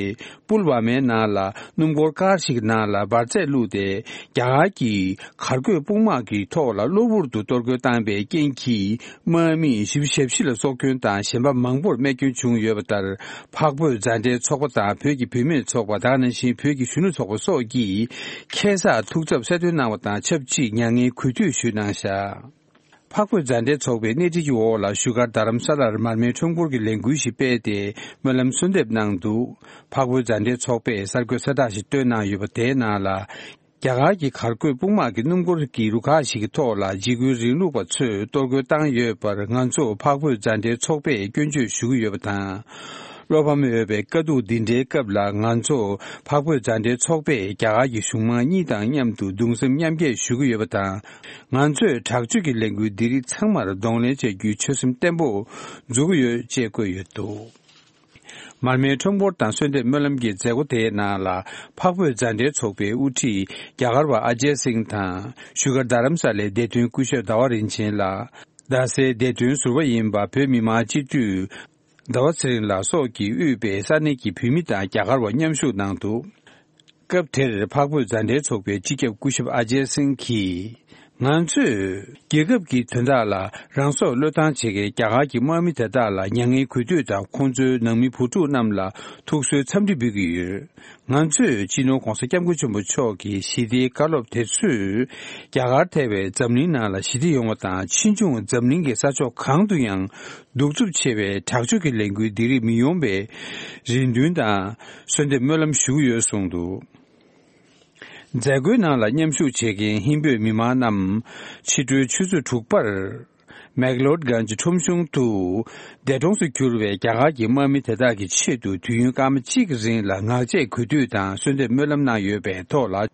པུལ་ཝ་མའི་ནང་ལ། སྣུམ་འཁོར་ཀར་ཞིག་ནང་ལ་འབར་རྫས་བླུགས་ཏེ། རྒྱ་གར་གྱི་གར་འགོད་དཔུང་དམག་གི་ཐོག་ལ་གློ་བུར་དུ་གཏོར་རྒོལ་བཏང་བའི་རྐྱེན་གྱིས། དམག་མི་བཞི་བཅུ་ཞེ་བཞི་ལ་སྲོག་སྐྱོན་དང་། གཞན་པ་མང་པོར་རྨས་སྐྱོན་བྱུང་ཡོད་པ་ལྟར། འཕགས་བོད་མཛའ་འབྲེལ་ཚོགས་པ་དང་། བོད་ཀྱི་བུད་མེད་ཚོགས་པ། དེ་ག་ནང་བཞིན་བོད་ཀྱི་གཞོན་ནུ་ཚོགས་པ་སོགས་ཀྱིས་ཁ་སང་ཐུགས་འཚབ་གསལ་སྟོན་གནང་བ་དང་ཆབས་ཅིག་མྱ་ངན་གུས་འདུད་ཞུས་གནང་བཞག་འཕགས་བོད་མཛའ་འབྲེལ་ཚོགས་པའི་སྣེ་ཁྲིད་ཀྱི་འོག་ལ། བཞུགས་སྒར་རྡ་རམ་ས་ལར་མར་མེའི་ཁྲོམ་སྐོར་གྱི་ལས་འགུལ་ཞིག་སྤེལ་ཏེ། སྨོན་ལམ་གསོལ་འདེབས་གནང་འདུག་འཕགས་བོད་མཛའ་འབྲེལ་ཚོགས་པས་གསར་འགོད་གསལ་བསྒྲགས་ཤིག་བཏོན་གནང་ཡོད་པ། དེའི་ནང་ལ། རྒྱ་གར་གྱི་གར་འགོད་དཔུང་དམག་གི་སྣུམ་འཁོར་གྱི་རུ་ཁག་ཞིག་གི་ཐོག་ལ། འཇིགས་སྐུལ་རིང་ལུགས་པ་ཚོས་གཏོར་རྒོལ་བཏང་ཡོད་པར། ང་ཚོ་འཕགས་བོད་མཛའ་འབྲེལ་ཚོགས་པས་སྐྱོན་བརྗོད་ཞུ་གི་ཡོད་པ་དང་། བློ་ཕམ་ཡོད་པའི་དཀའ་སྡུག་འདི་འདྲའི་སྐབས་ལ། ང་ཚོ་འཕགས་བོད་མཛའ་འབྲེལ་ཚོགས་པས་རྒྱ་གར་གྱི་གཞུང་མང་གཉིས་དང་མཉམ་དུ་གདུང་སེམས་མཉམ་སྐྱེད་ཞུ་གི་ཡོད་པ་དང་། ང་ཚོས་དྲག་སྤྱོད་ཀྱི་ལས་འགུལ་འདི་རིགས་ཚང་མར་གདོང་ལེན་བྱ་རྒྱུའི་ཆོད་སེམས་བརྟན་པོ་འཛུགས་ཀྱི་ཡོད་ཅེས་བཀོད་ཡོད་འདུག་མར་མེའི་ཁྲོམ་སྐོར་དང་གསོལ་འདེབས་སྨོན་ལམ་གྱི་མཛད་སྒོ་དེའི་ནང་ལ། འཕགས་བོད་མཛའ་འབྲེལ་ཚོགས་པའི་དབུ་ཁྲིད་རྒྱ་གར་བ་ཨ་ཇེ་སིང་དང་། བཞུགས་སྒར་རྡ་རམ་ས་ལའི་བདེ་དོན་སྐུ་ཞབས་ཟླ་བ་རིན་ཆེན་ལགས། རྡ་སའི་བདེ་དོན་ཟུར་པ་ཡིན་པ། བོད་མི་མང་སྤྱི་འཐུས་ཟླ་བ་ཚེ་རིང་ལགས་སོགས་ཀྱིས་དབུས་པའི་ས་གནས་ཀྱི་བོད་མི་དང་རྒྱ་གར་བ་མཉམ་ཞུགས་གནང་འདུག་སྐབས་དེར་འཕགས་བོད་མཛའ་འབྲེལ་ཚོགས་པའི་སྤྱི་ཁྱབ་སྐུ་ཞབས་ཨ་ཇེ་སིང་གིས། ང་ཚོས་རྒྱལ་ཁབ་ཀྱི་དོན་དག་ལ་རང་སྲོག་བློས་བཏང་བྱེད་མཁན་རྒྱ་གར་གྱི་དམག་མི་དེ་དག་ལ་མྱ་ངན་གུས་འདུད་དང་། ཁོང་ཚོའི་ནང་མི་བུ་ཕྲུག་རྣམས་ལ་ཐུགས་གསོའི་འཚམས་འདྲི་འབུལ་གྱི་ཡོད། ང་ཚོས་སྤྱི་ནོར་༧གོང་ས་༧སྐྱབས་མགོན་ཆེན་པོ་མཆོག་གི་ཞི་བདེའི་བཀའ་སློབ་དེ་ཚོས་རྒྱ་གར་ཐེ་བའི་འཛམ་གླིང་ནང་ལ་ཞི་བདེ་ཡོང་བ་དང་། ཕྱིས་འབྱུང་འཛམ་གླིང་གི་ས་ཕྱོགས་གང་དུ་ཡང་གདུག་རྩུབ་ཆེ་བའི་དྲག་སྤྱོད་ཀྱི་ལས་འགུལ་འདི་རིགས་མི་ཡོང་བའི་རེ་འདུན་དང་གསོལ་འདེབས་སྨོན་ལམ་ཞུ་གི་ཡོད་གསུངས་འདུག་མཛད་སྒོའི་ནང་ལ་མཉམ་ཞུགས་བྱེད་མཁན་ཧིན་བོད་མི་མང་རྣམས་ཕྱི་དྲོའི་ཆུ་ཚོད་དྲུག་པར། མེག་ལོར་གྷན་ཇི་ཁྲོམ་གཞུང་དུ། འདས་གྲོངས་སུ་གྱུར་བའི་རྒྱ་གར་གྱི་དམག་མི་དེ་དག་གི་ཆེད་དུ་དུས་ཡུན་སྐར་མ་གཅིག་རིང་ལ་ངག་བཅད་གུས་འདུད་དང་གསོལ་འདེབས་སྨོན་ལམ་གནང་ཡོད་པའི་ཐོག་ལ།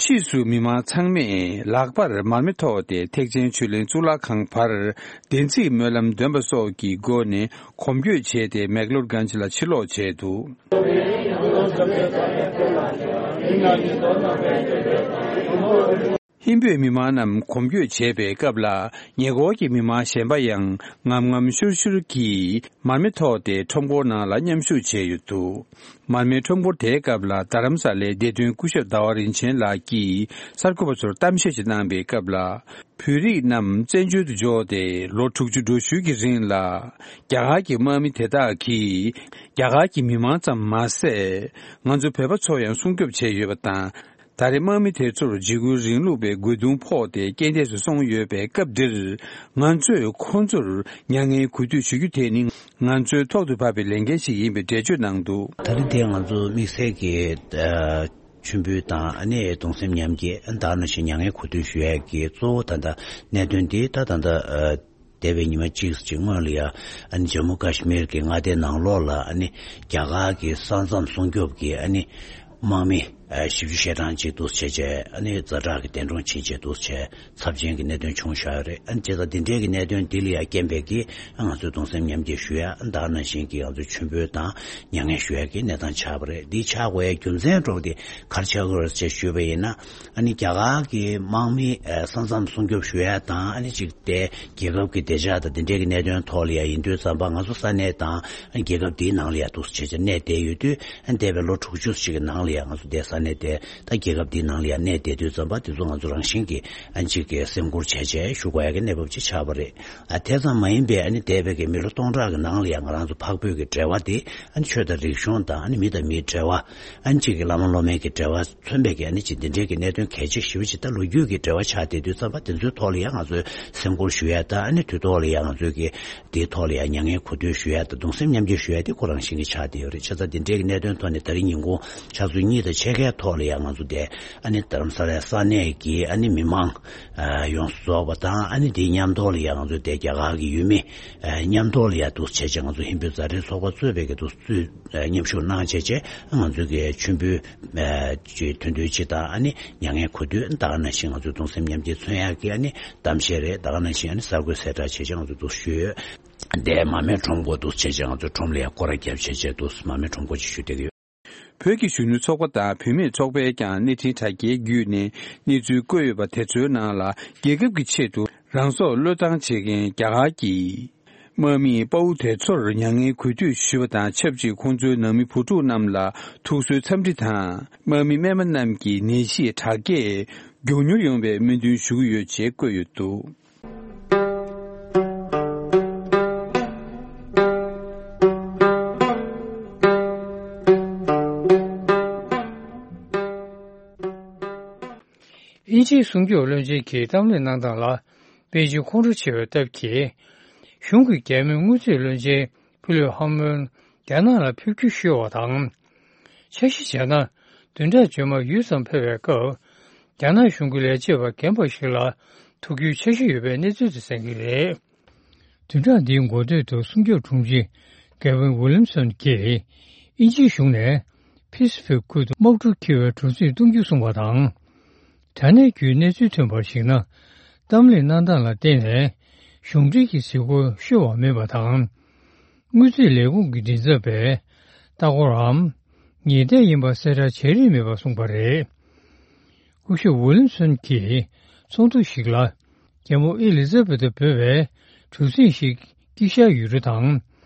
ཕྱིས་སུ་མི་མང་ཚང་མས་ལག་པར་མར་མེ་ཐོགས་ཏེ་ཐེག་ཆེན་ཆོས་གླིང་གཙུག་ལག་ཁང་བར་བདེན་ཚིག་སྨོན་ལམ་འདོན་པ་སོགས་ཀྱི་སྒོ་ནས་གོམ་བགྲོད་བྱས་ཏེ་མེག་ལོར་གྷན་ཇི་ལ་ཕྱིར་ལོག་བྱས་འདུག་ཧིན་བོད་མི་མང་རྣམས་གོམ་བགྲོད་བྱེད་པའི་སྐབས་ལ། ཉེ་འཁོར་གྱི་མི་མང་གཞན་པ་ཡང་ངམ་ངམ་ཤོར་ཤོར་གྱིས་མར་མེ་ཐོགས་ཏེ་ཁྲོམ་སྐོར་ནང་ལ་མཉམ་ཞུགས་བྱས་ཡོད་འདུག་མར་མེའི་ཁྲོམ་སྐོར་དེའི་སྐབས་ལ། རྡ་རམ་ས་ལའི་བདེ་དོན་སྐུ་ཞབས་ཟླ་བ་རིན་ཆེན་ལགས་ཀྱིས་གསར་འགོད་པ་ཚོར་གཏམ་བཤད་ཅིག་གནང་པའི་སྐབས་ལ། བོད་རིགས་རྣམས་བཙན་བྱོལ་དུ་འབྱོར་ཏེ་ལོ་དྲུག་ཅུ་འགྲོ་ཞུས་ཀྱི་རིང་ལ། རྒྱ་གར་གྱི་དམག་མི་དེ་དག་གིས་རྒྱ་གར་གྱི་མི་མང་ཙམ་མ་ཟད། ང་ཚོ་བོད་པ་ཚོ་ཡང་སྲུང་སྐྱོབ་བྱས་ཡོད་པ་དང་། ད་རེས་དམག་མི་དེ་ཚོར་འཇིགས་སྐུལ་རིང་ལུགས་པའི་རྒོལ་རྡུང་ཕོག་སྟེ་རྐྱེན་འདས་སུ་སོང་ཡོད་པའི་སྐབས་འདིར། ང་ཚོས་ཁོང་ཚོར་མྱ་ངན་གུས་འདུད་ཞུ་རྒྱུ་དེ་ནི་ང་ཚོའི་ཐོག་ཏུ་བབས་པའི་ལས་འགན་ཞིག་ཡིན་པའི་འགྲེལ་བརྗོད་གནང་འདུག་ད་རེས་དེ་ང་ཚོ་དམིགས་བསལ་གྱི་ཨ་མཆོད་འབུལ་དང་། ཨ་ནི་གདུང་སེམས་མཉམ་སྐྱེད། ཨ་ནི་ད་ག་ནང་བཞིན་མྱ་ངན་གུས་འདུད་ཞུ་ཡས་ཀྱི་གཙོ་བོ་ད་ལྟ་གནད་དོན་འདི་ད་ད་ལྟ་ཨ་འདས་པའི་ཉི་མ་གཅིག་ཅིག་སྔོན་ལ་ཡ། ཨ་ནི་ཇམ་མུ་ཀ་ཤི་མིར་གྱི་མངའ་སྡེ་ནང་ལོགས་ལ། ཨ་ནི་རྒྱ་གར་གྱི་ས་མཚམས་སྲུང་སྐྱོབ་ཀྱི་ཨ་ནི་དམག་མི་ཨ་བཞི་བཅུ་ཞེ་གྲངས་ཅིག་འདུག་སེ་བྱས་བྱས། ཨ་ནི་ཛ་དྲག་གི་འདས་གྲོངས་ཕྱིན་བྱས་འདུག་སེ་བྱས་ཚབས་ཆེན་གྱི་གནད་དོན་བྱུང་བཞག་ཡོད་རེད། ཨ་ནི་བྱས་ཙང་འདི་འདྲའི་གི་གནད་དོན་འདི་ལ་ཡ་རྐྱེན་པས་ཀྱི་ང་ཚོས་གདུང་སེམས་མཉམ་སྐྱེད་ཞུ་ཡ། ཨ་ནི་ད་ག་ནང་བཞིན་གྱི་ང་ཚོས་མཆོད་འབུལ་དང་མྱ་ངན་ཞུ་ཡ་གི་གནས་སྟངས་ཆགས་པ་རེད། འདི་ཆགས་དགོས་ཡ་རྒྱུ་མཚན་འདྲ་པོ་དེ་ག་རེ་ཆགས་ཀྱི་ཡོད་རེད་ཅེས་ཞུས་པ་ཡིན་ན། ཨ་ནི་རྒྱ་གར་གྱི་དམག་མི་ཨ་ས་མཚམས་སྲུང་སྐྱོབ་ཞུ་ཡ་དང་། ཨ་ནི་གཅིག་དེ་རྒྱལ་ཁབ་ཀྱི་བདེ་འཇགས་དང་དེ་འབྲེལ་གྱི་གནད་དོན་ཐོག་ལ་ཡ་ཡིན་དུས་ཙམ་པ། ང་ཚོ་ས་གནས་དང་རྒྱལ་ཁབ་འདིའི་ནང་ལ་ཡ་འདུག་སེ་བྱས་བྱས་གནས་བསྡད་ཡོད་དུས། ཨ་འདས་པའི་ལོ་དྲུག་ཅུ་ཞིག་གི་ནང་ལ་ཡ་ང་ཚོ་དེ་ས་གནས་དེ་ད་རྒྱལ་ཁབ་འདིའི་ནང་ལ་ཡ་གནས་བསྡད་དུས་ཙམ་པ། དེ་ཚོ་ང་ཚོ་རང་བཞིན་གྱིས་ཨ་གཅིག་གི་སེམས་ཁུར་བྱས་བྱས་བཞུགས་དགོས་ཡ་གི་གནས་བབ་ཅིག་ཆགས་པ་རེད། ཨ་དེ་ཙམ་མ་ཡིན་པའི་ཨ་ནི་འདས་པའི་གི་མི་ལོ་སྟོང་ཕྲག་གི་ནང་ལ་ཡ་ང་རང་ཚོ་འཕགས་བོད་ཀྱི་འབྲེལ་བ་དེ། ཨ་ནི་ཆོས་དང་རིག་གཞུང་དང་། ཨ་ནི་མི་དང་མིའི་འབྲེལ་བ། ཨ་ནི་གཅིག་གི་བླ་མ་སློབ་མའི་གི་འབྲེལ་བ། མཚོན་པའི་གི་ཨ་ནི་ཅིག་འདི་འདྲའི་གི་གནད་དོན་གལ་ཆེ་ཞེ་པོ་ཅིག་ད་ལོ་རྒྱུས་ཀྱི་འབྲེལ་བ་ཆགས་བསྡད་དུས་ཙམ་པ། དེ་ཚོའི་ཐོག་ལ་ཡང་ང་ཚོས་སེམས་ཁུར་ཞུ་ཡ་དང་། ཨ་ནི་དུས་ཐོག་ལ་ཡང་ང་ཚོས་ཀྱི་དེའི་ཐོག་ལ་ཡང་མྱ་ངན་གུས་འདུད་ཞུ་ཡ་དང་། གདུང་སེམས་མཉམ་སྐྱེད་ཞུ་ཡ་དེ་ཁོ་རང་བཞིན་གྱི་ཆགས་བསྡད་ཡོད་རེད། བྱས་ཙང་འདི་འདྲའི་གི་གནད་དོན་ཐོག་ནས་ད་རིང་ཉིན་གུང་ཆུ་ཚོད་གཉིས་དང་ཕྱེད་ཀའི་ཐོག་ལ་ཡང་ང་ཚོ་དེ་ཨ་ནི་རྡ་རམ་ས་ལའི་ས་གནས་ཀྱི་ཨ་ནི་མི་མང་ཡོངས་སུ་རྫོགས་པ་དང་། ཨ་ནི་དེའི་མཉམ་ཐོག་ལ་ཡང་ང་ཚོ་དེ་རྒྱ་གར་གྱི་ཡུལ་མི་མཉམ་ཐོག་ལ་ཡང་འདུག་བྱས་བྱས་ང་ཚོ་ཧིན་བོད་མཛའ་འབྲེལ་ཚོགས་པ་གཙོས་པའི་གི་འདུག་སེ་མཉམ་ཞུགས་གནང་བྱས་བྱས། ང་ཚོའི་གི་མཆོད་འབུལ་ཨ་ཅིག་ཐུང་ཐུང་ཅིག་དང་། ཨ་ནི་མྱ་ངན་གུས་འདུད། ད་ག་ནང་བཞིན་ང་ཚོའི་གདུང་སེམས་མཉམ་སྐྱེད་མཚོན་ཡག་གི་ཨ་ནི་གཏམ་བཤད་རེད། ད་ག་ནང་བཞིན་ཨ་ནི་གསར་འགོད་གསལ་བསྒྲགས་བྱས་བྱས་ང་ཚོ་འདུག་ཞུས་ཡོད། འདས་མར་མེ་ཁྲོམ་སྐོར་འདུག་བྱས་བྱས་ང་ཚོ་ཁྲོམ་ལ་ཡང་སྐོར་ར་བརྒྱབ་བྱས་བྱས་འདུག་མར་མེ་ཁྲོམ་སྐོར་ཅིག་ཞུ་བསྡད་ཀྱི་ཡོད། བོད་ཀྱི་གཞོན་ནུ་ཚོགས་པ་དང་བུད་མེད་ཚོགས་པས་ཀྱང་གནས་འཕྲིན་དྲ་རྒྱའི་བརྒྱུད་ནས་གནས་ཚུལ་བཀོད་ཡོད་པ་དེ་ཚོའི་ནང་ལ། རྒྱལ་ཁབ་ཀྱི་ཆེད་དུ་རང་སྲོག་བློས་བཏང་བྱེད་མཁན་རྒྱ་གར་གྱི་དམག་མིས་དཔའ་བོ་དེ་ཚོར་མྱ་ངན་གུས་འདུད་ཞུས་པ་དང་ཆབས་ཅིག་ཁོང་ཚོའི་ནང་མི་བུ་ཕྲུག་རྣམས་ལ་ཐུགས་གསོའི་འཚམས་འདྲི་དང་། དམག་མི་རྨས་པ་རྣམས་ཀྱི་ནད་གཞི་དྲག་སྐྱེད་མགྱོགས་མྱུར་ཡོང་བའི་སྨོན་འདུན་ཞུ་གི་ཡོད་ཅེས་བཀོད་ཡོད་འདུག། དབྱིན་ཇིའི་སྲུང་སྐྱོབ་བློན་ཆེན་གྱིས་གཏམ་གླེང་གནང་སྟངས་ལ་དཔེ་ཆའི་ཁོང་ཁྲོ་ཆེ་བའི་སྟབས་ཀྱིས། གཞུང་གི་རྒྱ་མིའི་དངུལ་རྩིས་བློན་ཆེན་ཕི་ལིབ་ཧ་མོན་རྒྱ་ནག་ལ་ཕེབས་རྒྱུ་ཤོར་བ་དང་། འཆར་གཞི་བྱས་ན། བདུན་ཕྲག་རྗེས་མར་ཡུལ་ཙམ་ཕེབས་པའི་སྐབས། རྒྱ་ནག་གཞུང་གི་ལས་བྱེད་པ་རྒན་པ་ཞིག་ལ་ཐུག་རྒྱུའི་འཆར་གཞི་ཡོད་པའི་གནས་ཚུལ་དེ་གསན་གྱི་རེད། བདུན་ཕྲག་འདིའི་འགོ་སྟོད་དུ་སྲུང་སྐྱོབ་དྲུང་ཆེ་གེ་ཝིན་ཝི་ལིམ་སོན་གྱིས་དབྱིན་ཇིའི་གཞུང་ནས་ཕི་སི་ཕིག་ཁུལ་དུ་དམག་གྲུ་འཁྱེར་བའི་གྲུ་གཟིངས་གཏོང་རྒྱུ་གསུངས་པ་དང་། དྲ་གནས་བརྒྱུད་གནས་ཚུལ་ཐོན་པར་གཞིགས་ན། གཏམ་གླེང་གནང་སྟངས་ལ་བརྟེན་ནས་གཞུང་འབྲེལ་གྱི་གཟིགས་སྐོར་ཤོར་བ་མིན་པ་དང་། དངུལ་རྩིས་ལས་ཁུངས་ཀྱི་མགྲིན་ཚབ་པས་ལྟ་སྐོར་འམ་ཉེས་འདེད་ཡིན་པ་གསལ་བསྒྲགས་བྱས་རིན་མེད་པ་གསུངས་པ་རེད། སྐུ་ཞབས་ཝི་ལིམ་སོན་གྱིས་ཚོགས་འདུ་ཞིག་ལ། རྒྱལ་མོ་ཨེ་ལི་ཛ་བེ་ཐ་འབོད་པའི་གྲུ་གཟིངས་ཤིག་དཀྱིལ་ཤར་ཡུལ་གྲུ་དང་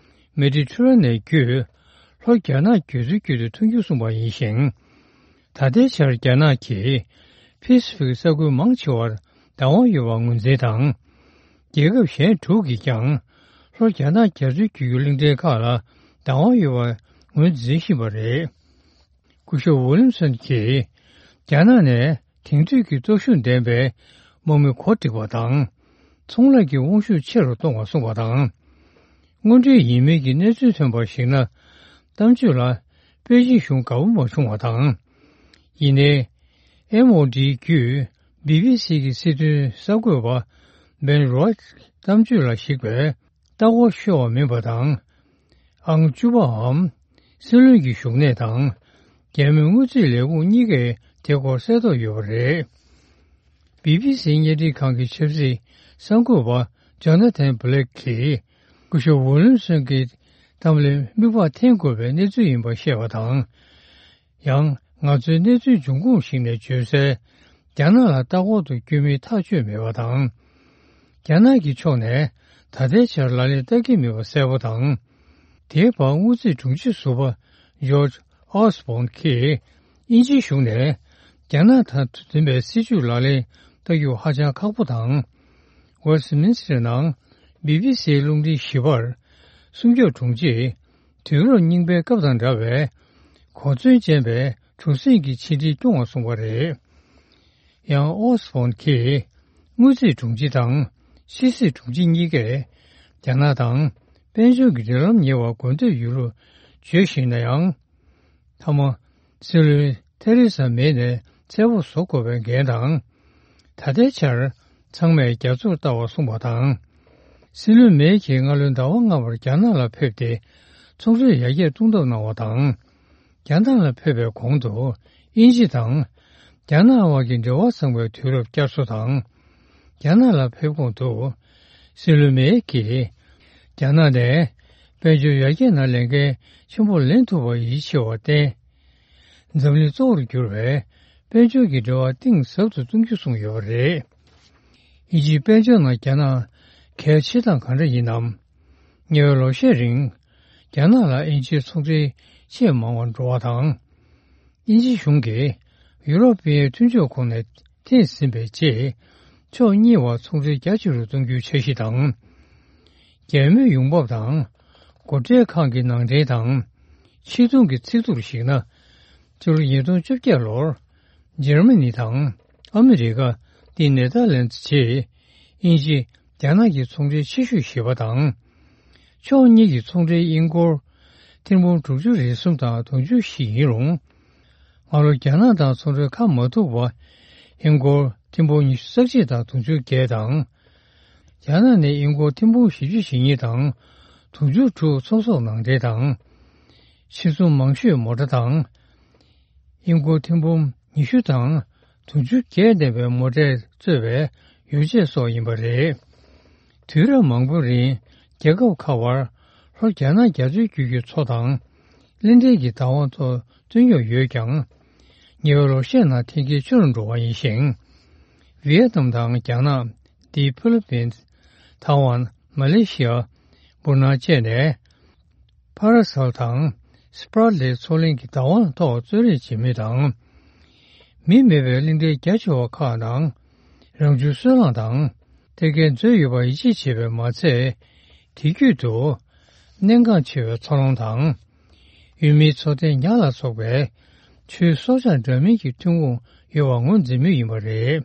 མེ་ཌི་ཊེ་རེ་ནེན་བརྒྱུད་ལྷོ་རྒྱ་ནག་རྒྱ་མཚོའི་དཀྱིལ་དུ་ཐོན་རྒྱུ་གསུངས་པ་ཡིན་ཞིང་། ད་ལྟའི་ཆར་རྒྱ་ནག་གིས་ཕེ་སི་ཕིག་ས་ཁུལ་མང་ཆེ་བར་བདག་དབང་ཡོད་པར་ངོས་འཛིན་དང་། རྒྱལ་ཁབ་གཞན་དྲུག་གིས་ཀྱང་ལྷོ་རྒྱ་ནག་རྒྱ་མཚོའི་རྒྱུད་ཀྱི་གླིང་ཕྲན་ཁག་ལ་བདག་དབང་ཡོད་པར་ངོས་འཛིན་བཞིན་པ་རེད། སྐུ་ཞབས་ཝི་ལིམ་སོན་གྱིས་རྒྱ་ནག་ནས་དེང་དུས་ཀྱི་སྟོབས་ཤུགས་ལྡན་པའི་དམག་མི་གོ་སྒྲིག་པ་དང་། ཚོང་ལས་ཀྱི་དབང་ཤུགས་ཆེ་རུ་གཏོང་བ་གསུངས་པ་དང་། དངོས་འབྲེལ་ཡིན་མིན་གྱི་གནས་ཚུལ་ཐོན་པར་གཞིགས་ན། གཏམ་བརྗོད་ལ་པེ་ཅིང་གཞུང་དགའ་པོ་མ་བྱུང་བ་དང་། ཡིན་ནའི། ཨེམ་ཨོ་ཌི་བརྒྱུད་བི་བི་སི་གི་སྲིད་དོན་གསར་འགོད་པ་བེན་རོའི་གཏམ་བརྗོད་ལ་གཞིགས་པའི་ལྟ་སྐོར་ཤོར་བ་མིན་པ་དང་། ཨང་བཅུ་པའམ་སྲིད་བློན་གྱི་བཞུགས་གནས་དང་། རྒྱ་མིའི་དངུལ་རྩིས་ལས་ཁུངས་གཉིས་ཀས་དེ་སྐོར་གསལ་རྟོགས་ཡོད་པ་རེད། བི་བི་སིའི་བརྙན་འཕྲིན་ཁང་གི་ཆབ་སྲིད་གསར་འགོད་པ་ཇོ་ན་ཐན་བྷི་ལེག་གིས་སྐུ་ཞབས་ཝུ་ལིམ་སོན་གྱི་གཏམ་ལ་མིག་དཔེ་འཐེན་དགོས་པའི་གནས་ཚུལ་ཡིན་པ་བཤད་པ་དང་། ཡང་ང་ཚོའི་གནས་ཚུལ་འབྱུང་ཁུངས་ཤིག་ནས་བརྗོད་གསལ། རྒྱ་ནག་ལ་ལྟ་སྐོར་དུ་བསྐྱོད་མིན་ཐག་ཆོད་མེད་པ་དང་། རྒྱ་ནག་གི་ཕྱོགས་ནས་ད་ལྟའི་ཆར་ལག་ལེན་བསྟར་གྱི་མེད་པ་གསལ་པོ་དང་། དེའི་བར་དངུལ་རྩིས་དྲུང་ཆེ་ཟུར་པ་ཇོརྗ་ཨོ་སི་བྷོན་གྱིས་དབྱིན་ཇིའི་གཞུང་ནས་རྒྱ་ནག་དང་མཐུན་པའི་སྲིད་ཇུས་ལག་ལེན་བསྟར་རྒྱུ་ཧ་ཅང་ཁག་པོ་དང་། ཝེ་སི་ཏི་མིན་སི་ཊར་ནང་བི་བི་སིའི་རླུང་འཕྲིན་བཞི་པར་སྲུང་སྐྱོབ་དྲུང་ཆེས། དུས་རབས་རྙིང་པའི་སྐབས་དང་འདྲ་བའི་གོ་མཚོན་ཅན་པའི་གྲུ་གཟིངས་ཀྱི་ཆེད་ཁྲིད་སྐྱོང་བ་གསུངས་པ་རེད། ཡང་ཨོ་སི་བྷོན་གྱིས་དངུལ་རྩིས་དྲུང་ཆེ་དང་ཕྱི་སྲིད་དྲུང་ཆེ་གཉིས་ཀས་རྒྱ་ནག་དང་དཔལ་འབྱོར་གྱི་འབྲེལ་ལམ་ཉེ་བར་དགོས་འདོད་ཡོད་ལུགས་བརྗོད་བཞིན་ན་ཡང་། མཐའ་མ། སྲིད་བློན་ཐེ་རེ་ས་མེ་ནས་མཚན་དབང་བཟོ་དགོས་པའི་འགན་དང་། ད་ལྟའི་ཆར་ཚང་མས་རྒྱ་མཚོར་ལྟ་བར་གསུངས་པ་དང་། སྲིད་བློན་མེ་གིས་སྔ་ལོའི་ཟླ་བ་ལྔ་བར་རྒྱ་ནག་ལ་ཕེབས་ཏེ་ཚོང་འབྲེལ་ཡར་རྒྱས་གཏོང་ཐབས་གནང་བ་དང་། རྒྱ་ནག་ལ་ཕེབས་པའི་གོང་དུ་དབྱིན་ཇི་དང་རྒྱ་ནག་དབར་གྱི་འབྲེལ་བ་བཟང་བའི་དུས་རབས་བསྐྱར་གསོ་དང་། རྒྱ་ནག་ལ་ཕེབས་གོང་དུ་སྲིད་བློན་མེ་གིས་རྒྱ་ནག་ནས་དཔལ་འབྱོར་ཡར་རྒྱས་ནང་ལས་འགན་ཆེན་པོ་ལེན་ཐུབ་པར་ཡིད་ཆེས་པར་བརྟེན། འཛམ་གླིང་གཙོ་བོར་གྱུར་བའི་དཔལ་འབྱོར་གྱི་འབྲེལ་བ་གཏིང་ཟབ་ཏུ་གཏོང་རྒྱུ་གསུངས་ཡོད་པ་རེད། དབྱིན་ཇིའི་དཔལ་འབྱོར་ནང་རྒྱ་ནག་གལ་ཆེ་སྟངས་གང་འདྲ་ཡིན་ནམ། ཉེ་བའི་ལོ་ཤས་རིང་། རྒྱ་ནག་ལ་དབྱིན་ཇིའི་ཚོང་འབྲེལ་ཆེས་མང་བ་འགྲོ་བ་དང་། དབྱིན་ཇི་གཞུང་གིས་ཡུ་རོབ་པའི་མཐུན་ཕྱོགས་ཁོངས་ནས་འཐེན་ཟིན་པའི་རྗེས། ཕྱོགས་གཉིས་བར་ཚོང་འབྲེལ་རྒྱ་ཆེ་རུ་གཏོང་རྒྱུའི་འཆར་གཞི་དང་། རྒྱལ་མོའི་ཡོང་འབབ་དང་། སྒོ་ཁྲལ་ཁང་གི་ནང་འདྲེན་དང་། ཕྱིར་གཏོང་གི་ཚིག་ཐོར་གཞིགས་ན། ཕྱི་ལོ་ཉིས་སྟོང་བཅོ་བརྒྱད་ལོར། འཇར་མ་ནི་དང་། ཨ་མི་རི་ཀ་སྟེ་ནེ་ཐར་ལན་ཛི་བཅས། དབྱིན་ཇི། རྒྱ་ནག་གི་ཚོང་འབྲེལ་ཆེ་ཤོས་ཞེས་པ་དང་། ཕྱོགས་གཉིས་ཀྱི་ཚོང་འབྲེལ་དབྱིན་སྒོར། ཐེར་འབུམ་དྲུག་ཅུ་རེ་གསུམ་དང་དུང་ཕྱུར་བཞི་ཡིན་རུང་། སྔ་ལོ་རྒྱ་ནག་དང་ཚོང་འབྲེལ་འཁར་མ་ཐུབ་པ། དབྱིན་སྒོར་ཐེར་འབུམ་ཉི་ཤུ་རྩ་གཅིག་དང་དུང་ཕྱུར་བརྒྱད་དང་། རྒྱ་ནག་ནས་དབྱིན་སྒོར་ཐེར་འབུམ་བཞི་བཅུ་ཞེ་གཉིས་དང་། དུང་ཕྱུར་དྲུག་ཚོང་ཟོག་ནང་འདྲེན་དང་། ཕྱིར་ཚོང་མང་ཤོས་མོ་ཊ་དང་། དབྱིན་སྒོར་ཐེར་འབུམ་ཉི་ཤུ་དང་དུང་ཕྱུར་བརྒྱད་ལྡན་པའི་མོ་ཊས་གཙོས་པའི་ཡོ་བྱད་སོགས་ཡིན་པ་རེད། དུས་རབས་མང་པོའི་རིང་རྒྱལ་ཁབ་ཁག་བར་ལྷོ་རྒྱ་ནག་རྒྱ་མཚོའི་རྒྱུད་ཀྱི་མཚོ་དང་། གླིང་ཕྲན་གྱི་བདག་དབང་ཐོག་ བཏོན་ཡོད་ཡོད་ཀྱང་། ཉེ་བའི་ལོ་ཤས་ནང་འཐེན་འཁྱེར་ཆུ་རུ་འགྲོ་བ་ཡིན་ཞིང་། ཝི་ཡེ་ནམ་དང་རྒྱ་ནག་འདི་ཕི་ལི་པིན། ཐའེ་ཝན། མ་ལེ་ཤི་ཡ། འབུར་ནག་བཅས་ནས། ཕ་ར་སལ་དང་སི་པྲ་ལའི་མཚོ་གླིང་གི་བདག་དབང་ཐོག་རྩོད་རེས་བྱེད་མུས་དང་། མི་མེད་པའི་གླིང་ཕྲན་རྒྱ་ཆེ་བ་ཁག་ནང་རང་བྱུང་སོལ་རླངས་དང་ཐད་ཀའི་མཛོད་ཡོད་པར་ཡིད་ཆེས་བྱེད་པས་མ་ཚད། དེ་བརྒྱུད་དུ་གནད་འགག་ཆེ་བའི་འཚར་ལོངས་དང་། ཡུལ་མིའི་འཚོ་རྟེན་ཉ་ལ་སོགས་པའི་ཆུའི་སྲོག་ཆགས་འདྲ་མིན་གྱི་ཐོན་ཁུངས་ཡོད་པ་ངོས་འཛིན་མུས་ཡིན་པ་རེད།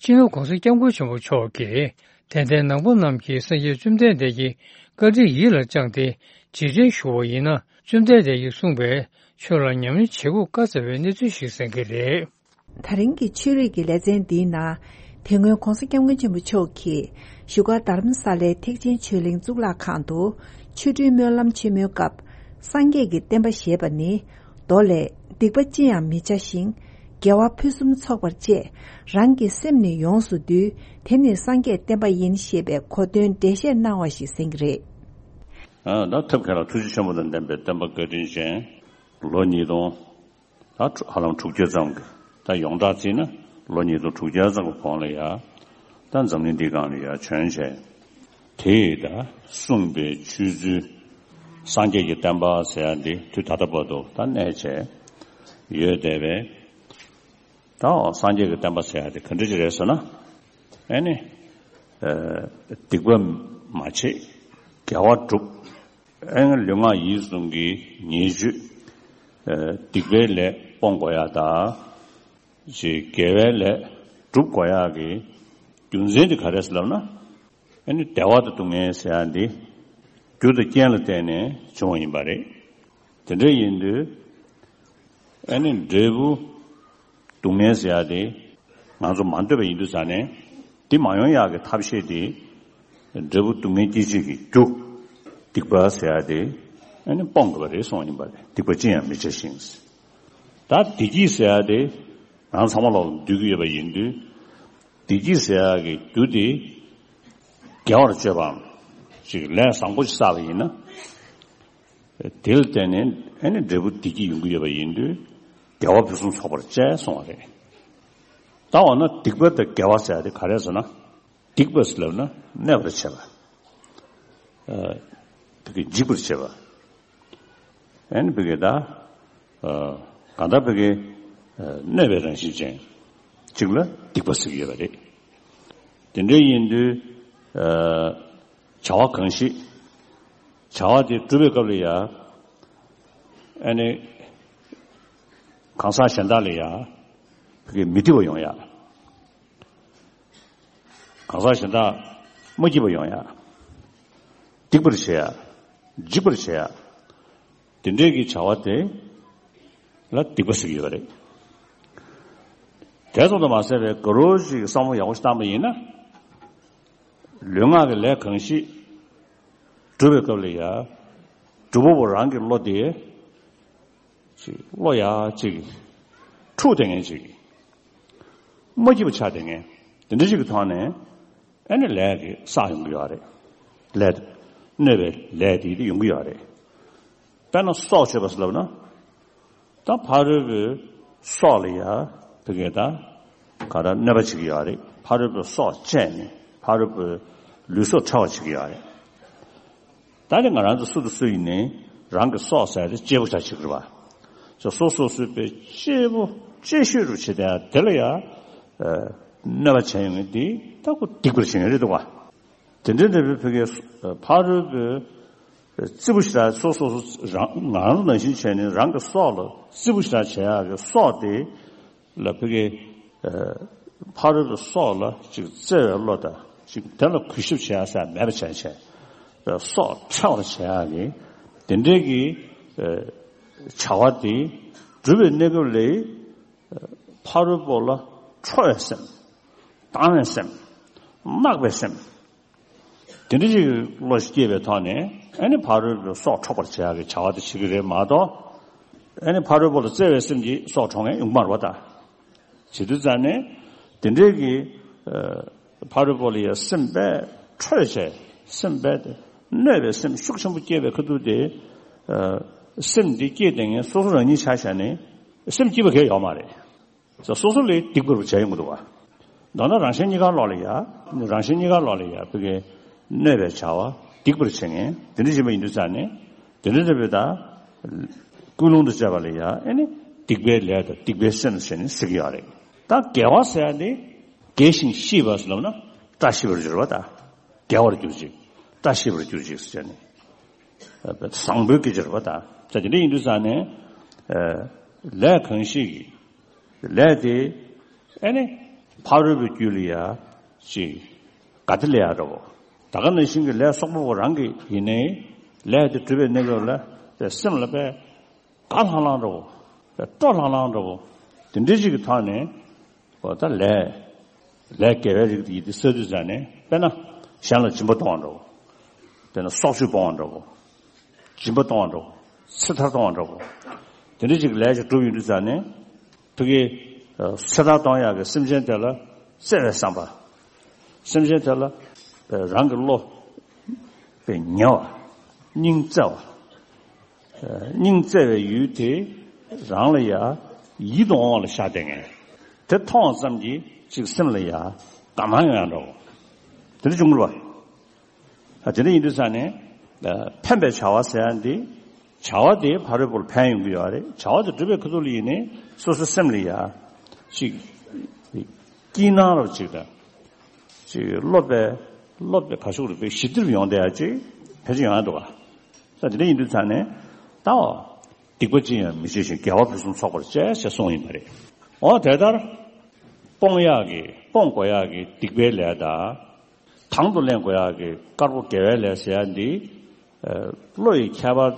སྤྱི་ནོར་༸གོང་ས་༸སྐྱབས་མགོན་ཆེན་པོ་མཆོག་གིས་དད་ལྡན་ནང་པ་རྣམས་ཀྱིས་སངས་རྒྱས་བཅོམ་ལྡན་འདས་ཀྱི་བཀའ་དྲིན་ཡིད་ལ་བཅངས་ཏེ་རྗེས་དྲན་ཞུ་བ་ཡིན་ན། བཅོམ་ལྡན་འདས་ཀྱིས་གསུངས་པའི་ཆོས་ལ་ཉམས་ལེན་བྱེད་དགོས་དཀའ་ཚེགས་པའི་གནས་ཚུལ་ཞིག་གསན་གྱི་རེད། ད་རིང་གི་ཆོས་རིག་གི་ལེ་ཚན་འདིའི་ནང་། དེ་སྔོན་༸གོང་ས་༸སྐྱབས་མགོན་ཆེན་པོ་མཆོག་གིས་བཞུགས་སྒར་རྡ་རམ་ས་ལའི་ཐེག་ཆེན་ཆོས་གླིང་གཙུག་ལག་ཁང་དུ་ཆོ་འཕྲུལ་སྨོན་ལམ་ཆེན་མོའི་སྐབས། སངས་རྒྱས་ཀྱི་བསྟན་པ་ཞེས་པ་ནི། མདོ་ལས། སྡིག་པ་ཅི་ཡང་མི་བྱ་ཞིང་། དགེ་བ་ཕུན་སུམ་ཚོགས་པར་སྤྱད། རང་གི་སེམས་ནི་ཡོངས་སུ་འདུལ། དེ་ནི་སངས་རྒྱས་བསྟན་པ་ཡིན། ཞེས་པའི་གོ་དོན་འགྲེལ་བཤད་གནང་བ་ཞིག་གསན་གྱི་རེད། ཨ། ད་ཐབས་མཁས་ལ་ཐུགས་རྗེ་ཆེན་པོ་དང་ལྡན་པའི་བསྟན་པ་བཀའ་དྲིན་ཅན། ལོ་ཉིས་སྟོང་། ད་ཧ་ལམ་དྲུག་བརྒྱ་ཙམ་གྱི། ད་ཡོངས་གྲགས་བརྩིས་ན་ལོ་ཉིས་སྟོང་དྲུག་བརྒྱ་ཙམ་གྱི་གོང་ལ་ཡ། ད་འཛམ་གླིང་འདིའི་སྒང་ལ་ཡ་བྱོན་བྱས། དེས་ད་གསུངས་པའི་ཆོས་ཚུལ། སངས་རྒྱས་ཀྱི་བསྟན་པ་ཟེར་ཡ་འདི་དུས་ད་ལྟ་བར་དུ་ད་གནས་བྱས་ཡོད་བསྡད་པས། ད་སངས་རྒྱས་ཀྱི་བསྟན་པ་ཟེར་ཡ་དེ་ག་འདྲ་ཅིག་རེད་ཟེར་ན། ཨེ་ནི། ཨ། སྡིག་པ་མ་བྱེད། དགེ་བ་སྒྲུབ། ཨེ་ནི་ལུས་ངག་ཡིད་གསུམ་གྱི་ཉེས་སྤྱོད། ཨ། སྡིག་པའི་ལས་སྤོང་དགོས་ཡ་དང་། ཅིག་དགེ་བའི་ལས་སྒྲུབ་དགོས་ཡ་གི་རྒྱུ་མཚན་དེ་ག་རེ་ཟེར་ལབ་ན། ཨེ་ནི་བདེ་བ་དང་སྡུག་བསྔལ་ཟེར་ཡ་འདི། རྒྱུ་དང་རྐྱེན་ལ་བརྟེན་ནས་བྱུང་བ་ཡིན་པ་རེད། དེ་འདྲ་ཡིན་དུས། ཨེ་ནི་འབྲས་བུ་སྡུག་བསྔལ་ཟེར་ཡ་དེ་ང་ཚོ་མ་འདོད་པ་ཡིན་དུས་ཙང་ནས། འདི་མ་ཡོང་ཡག་གི་ཐབས་ཤེས་དེ། འབྲས་བུ་སྡུག་བསྔལ་སྐྱེད་བྱེད་ཀྱི་རྒྱུ། སྡིག་པ་ཟེར་ཡ་དེ། ཨེ་ནི་སྤོང་དགོས་པ་རེད་གསུངས་པ་ཡིན་པ་རེད། སྡིག་པ་ཅི་ཡང་མི་བྱ་ཞིང་། ད་བདེ་སྐྱིད་ཟེར་ཡ་དེ། ང་ཚང་མ་ལོག་འདོད་ཀྱི་ཡོད་པ་ཡིན་དུས། བདེ་སྐྱིད་ཟེར་ཡག་གི་རྒྱུ་དེ། དགེ་བར་སྤྱོད་པའམ། ཅིག་ལས་བཟང་པོ་ཞིག་བསགས་པ་ཡིན་ན། དེ་ལ་བརྟེན་ནས་ཨེ་ནི་འབྲས་བུ་བདེ་སྐྱིད་ཡོང་གི་ཡོད་པ་ཡིན་དུས། དགེ་བ་ཕུན་སུམ་ཚོགས་པར་སྤྱད་གསུངས་པ་རེད། ད་འོ་ན་སྡིག་པ་དང་དགེ་བ་ཟེར་ཡ་དེ་ག་རེ་ཟེར་ན། སྡིག་པ་ཟེར་ལབ་ན་གནོད་པར་བྱེད་པ། ཨ། བདེ་སྐྱིད་འཇིག་པར་བྱེད་པ། ཨེ་ནི་བདེ་སྐྱིད་ད། ཨ། གང་ལྟར་བདེ་སྐྱིད། ཨ། གནོད་པའི་རང་བཞིན་ཅན། གཅིག་ལ་སྡིག་པ་ཟེར་གྱི་ཡོད་པ་རེད། དེ་འདྲ་ཡིན་དུས། ཨ། བྱ་བ་གང་ཞིག་བྱ་བ་དེ་སྒྲུབ་པའི་སྐབས་ལ་ཡ། ཨ་ནི། གང་ཟག་གཞན་དག་ལ་ཡ། བདེ་སྐྱིད་མི་སྡིག་པ་ཡོང་ཡ། གང་ཟག་གཞན་དག་མ་སྐྱིད་པ་ཡོང་ཡ། སྡིག་པར་བྱེད་ཡ། འཇིགས་པར་བྱེད་ཡ། དེ་འདྲའི་གི་བྱ་བ་དེ་ལ་སྡིག་པ་ཟེར་གྱི་ཡོད་པ་རེད། དེ་ཙམ་དུ་མ་ཟད་པའི་དགའ་རོགས་ཤིག་བསམ་བློ་ཡག་པོ་ཞིག་བཏང་པ་ཡིན་ན། ལུས་ངག་གི་ལས་གང་ཞིག་སྒྲུབ་པའི་སྐབས་ལ་ཡ། སྒྲུབ་པ་པོ་རང་གི་བློ་དེ། ཅིག་བློ་ཡ་ཅིག་འཁྲུག་བསྡད་མཁན་ཅིག་མ་སྐྱིད་པ་ཆགས་བསྡད་མཁན། དེ་འདྲ་ཅིག་གི་ཐོག་ནས་ཨ་ནི་ལས་ཀྱི་བསགས་ཡོང་གི་ཡོད་རེད། ལས། གནོད་པའི་ལས་དེ་ཡོང་གི་ཡོད་རེད། དཔེར་ན་སྲོག་གཅོད་པ་ཟེར་ལབ་ན། ད་ཕ་རོལ་པོའི་སྲོག་ལ་ཡ་བདེ་སྐྱིད་ད་ག་རེ་གནོད་པ་བྱེད་ཀྱི་ཡོད་རེད། ཕ་རོལ་པོའི་སྲོག་བཅད་ནས་ཕ་རོལ་པོའི་ལུས་སྲོག་འཕྲོག་པ་བྱེད་ཀྱི་ཡོད་རེད། ད་ནི་ང་རང་ཚོ་སུ་དང་སུ་ཡིན་ནའི་རང་གི་སྲོག་ཟེར་དེ་གཅེས་པོ་བྱ་བྱེད་ཀྱི་རེད་པ། སོ་སོ་སོ་སོའི་གཅེས་པོ་གཅེས་ཤོས་རུ་བྱེད་དེ་དེ་ལ་ཡ། ཨ། གནོད་པ་བྱས་ཡོང་མཁན་དེ་ད་ཁོ་སྡིག་པར་བྱེད་མཁན་རེད་འདུག་པ། དེ་འདྲའི་འདྲ་བའི་བོད་སྐད་ཕ་རོལ་པོའི་རྩིས་པོ་ཞེ་དྲག་སོ་སོ་སོ་རང་ང་རང་ནང་བཞིན་བྱས་ནས་རང་གི་སྲོག་ལ་རྩིས་པོ་ཞེ་དྲག་བྱེད་ཡག་གི་སྲོག་དེ། ལ་བོད་སྐད། ཨ། ཕ་རོལ་པོའི་སྲོག་ལ་ཅིག་བརྩེ་བའི་བློ་དང་ཅིག་དེ་ལ་གུས་ཞབས་བྱེད་ཡ་ཟེར་མེད་པ་བྱས་བྱས། སྲོག་འཕྲོག་པར་བྱེད་ཡ་གི་དེ་འདྲའི་གི། ཨ། བྱ་བ་དེ་སྒྲུབ་པའི་གནས་སྐབས་ལ་ཕ་རོལ་པོ་ལ་ཁྲོ་བའི་སེམས། སྡང་བའི་སེམས། བརྣག་པའི་སེམས། དེ་འདྲ་ཞིག་བློ་ཞིག་སྐྱེས་པའི་ཐོག་ནས་ཨ་ནི་ཕ་རོལ་པོའི་སྲོག་འཕྲོག་པར་བྱེད་ཡག་གི་བྱ་བ་དེ་བྱེད་ཀྱི་རེད་མ་གཏོགས། ཨ་ནི་ཕ་རོལ་པོ་ལ་བརྩེ་བའི་སེམས་ཀྱིས་སྲོག་འཕྲོག་མཁན་ཡོང་གི་མ་རེད་པ་ད། བྱེད་དུས་ཙང་ནས་དེ་འདྲའི་གི་ཨ་ཕ་རོལ་པོ་ལ་ཡ་སེམས་དཔེ་ཁྲོས་བྱས། སེམས་དཔེ་གནོད་པའི་སེམས་ཤུགས་ཆེན་པོ་སྐྱེས་པའི་ཁ་ཐུག་དེ། ཨ་སེམས་འདི་སྐྱེས་བསྡད་མཁན་སོ་སོ་རང་ཉིད་ཆ་བཞག་ནས་སེམས་སྐྱིད་པ་གང་ཡང་ཡོད་མ་རེད། སོ་སོ་ལ་སྡིག་པར་བྱས་ཡོང་གི་འདུག་བ། མདོར་ན་རང་གཞན་གཉིས་ཀ་ལོག་ལ་ཡ། རང་གཞན་གཉིས་ཀ་ལོག་ལ་ཡ་ཕ་གིའི་གནོད་པའི་བྱ་བ་སྡིག་པར་བྱེད་མཁན་དེ་འདྲ་ཞིག་ཡིན་པ་ཡིན་དུས་ཙང་ནས། དེ་འདྲ་ཞིག་ཡིན་པ་ཡིན་དུས་ཙང་ནས། ཀུན་སློང་དུ་བྱས་པ་ལ་ཡ་ཨ་ནི་སྡིག་པའི་ལས་དང་སྡིག་པའི་སེམས་ཟེར་ནས་ཟེར་གྱི་ཡོད་རེད། ད་དགེ་བ་ཟེར་ཡ་དེ། དགེ་ཞིང་ཤེས་པ་ཟེར་ལབ་ན་བཀྲ་ཤིས་པར་གྱུར་པ་དང་། དགེ་བར་གྱུར་ཅིག་བཀྲ་ཤིས་པར་གྱུར་ཅིག་ཟེར་ནས། བཟང་པོའི་སྐད་ཆ་རེད་པ་དང་། ད་དེ་འདྲ་ཡིན་དུས་ཙང་ནས། ཨ་ལས་གང་ཞིག་གིས། ལས་དེ་ཨ་ནི་ཕ་རོལ་པོའི་རྒྱུད་ལ་ཡ་ཅིག་དགའ་བདེ་སླེབས་ཡ་འདྲ་བོ། ད་ག་ནང་བཞིན་གྱི་ལས་བསོག་པ་པོ་རང་གི་ཡིན་ནའི། ལས་དེ་སྒྲུབ་པའི་གནས་སྐབས་ལ་དེ་སེམས་ལ་དཔེ་དགའ་ལྷང་ལྷང་འདྲ་བོ། དཔེ་སྤྲོ་ལྷང་ལྷང་འདྲ་བོ། དེ་འདྲའི་ཅིག་གི་ཐོག་ནས། འོ་ད་ལས། ལས་དགེ་བའི་རིགས་དེ་ཡིན་དེ་བསགས་དུས་ཙང་ནས། དཔེར་ན་གཞན་ལ་སྦྱིན་པ་གཏོང་བ་འདྲ་བོ། དཔེར་ན་སྲོག་གཅོད་སྤོང་བ་འདྲ་བོ། སྦྱིན་པ་གཏོང་བ་འདྲ་བོ། ཚེ་ཐར་གཏོང་བ་འདྲ་བོ། དེ་འདྲ་ཅིག་ལས་ཅིག་སྒྲུབ་ཡོང་དུས་ཙང་ནས། ཕ་གིའི་ཚེ་ཐར་གཏོང་ཡག་གི་སེམས་ཅན་དེ་ལ་བརྩེ་བའི་བསམ་པ། སེམས་ཅན་དེ་ལ་རང་གི་བློ་དཔེ་ཉེ་བ། སྙིང་བརྩེ་བ། སྙིང་བརྩེ་བའི་ཡུལ་དེ་རང་ལ་ཡ་ཡིད་དུ་འོང་བ་ལ་ཤར་བསྡད་མཁན། དེ་མཐོང་བ་ཙམ་གྱིས་ཅིག་སེམས་ལ་ཡ་དགའ་སྣང་ཡོང་ཡ་འདྲ་བོ། དེ་འདྲ་བྱུང་གི་རེད་པ། དེ་འདྲ་ཡིན་དུས་ཙང་ནས། ཕན་པའི་བྱ་བ་ཟེར་ཡ་འདི། བྱ་བ་དེ་ཕ་རོལ་པོར་ཕན་ཡོང་གི་ཡོད་རེད། བྱ་བ་དེ་སྒྲུབ་པའི་ཁ་ཐུག་ལ་ཡིན་ནའི་སོ་སོའི་སེམས་ལ་ཡ་ཅིག་སྐྱིད་སྣང་རབ་ཅིག་དང་། ཅིག་བློ་དཔེ། བློ་དཔེ་ག་ཤུགས་རེད་པས་ཞི་བདེ་རུ་ཡོང་བསྡད་ཡ་ཅིག་ཕལ་ཆེར་ཡོང་ཡ་འདུག་ག། ས་དེ་འདྲ་ཡིན་དུས་ཙང་ནས་ད་བ། སྡིག་པ་ཅི་ཡང་མི་བྱེད་ཅིང་། དགེ་བ་ཕུན་སུམ་ཚོགས་པར་སྤྱད་ཅེས་གསུངས་ཡིན་པ་རེད། འོ་དེ་ལྟར། སྤོང་ཡག་གི་སྤོང་དགོས་ཡག་གི་སྡིག་པའི་ལས་དང་། དང་དུ་ལེན་དགོས་ཡག་གི་དཀར་པོ་དགེ་བའི་ལས་ཟེར་ཡ་འདི། བློ་ཡི་ཁྱད་པར་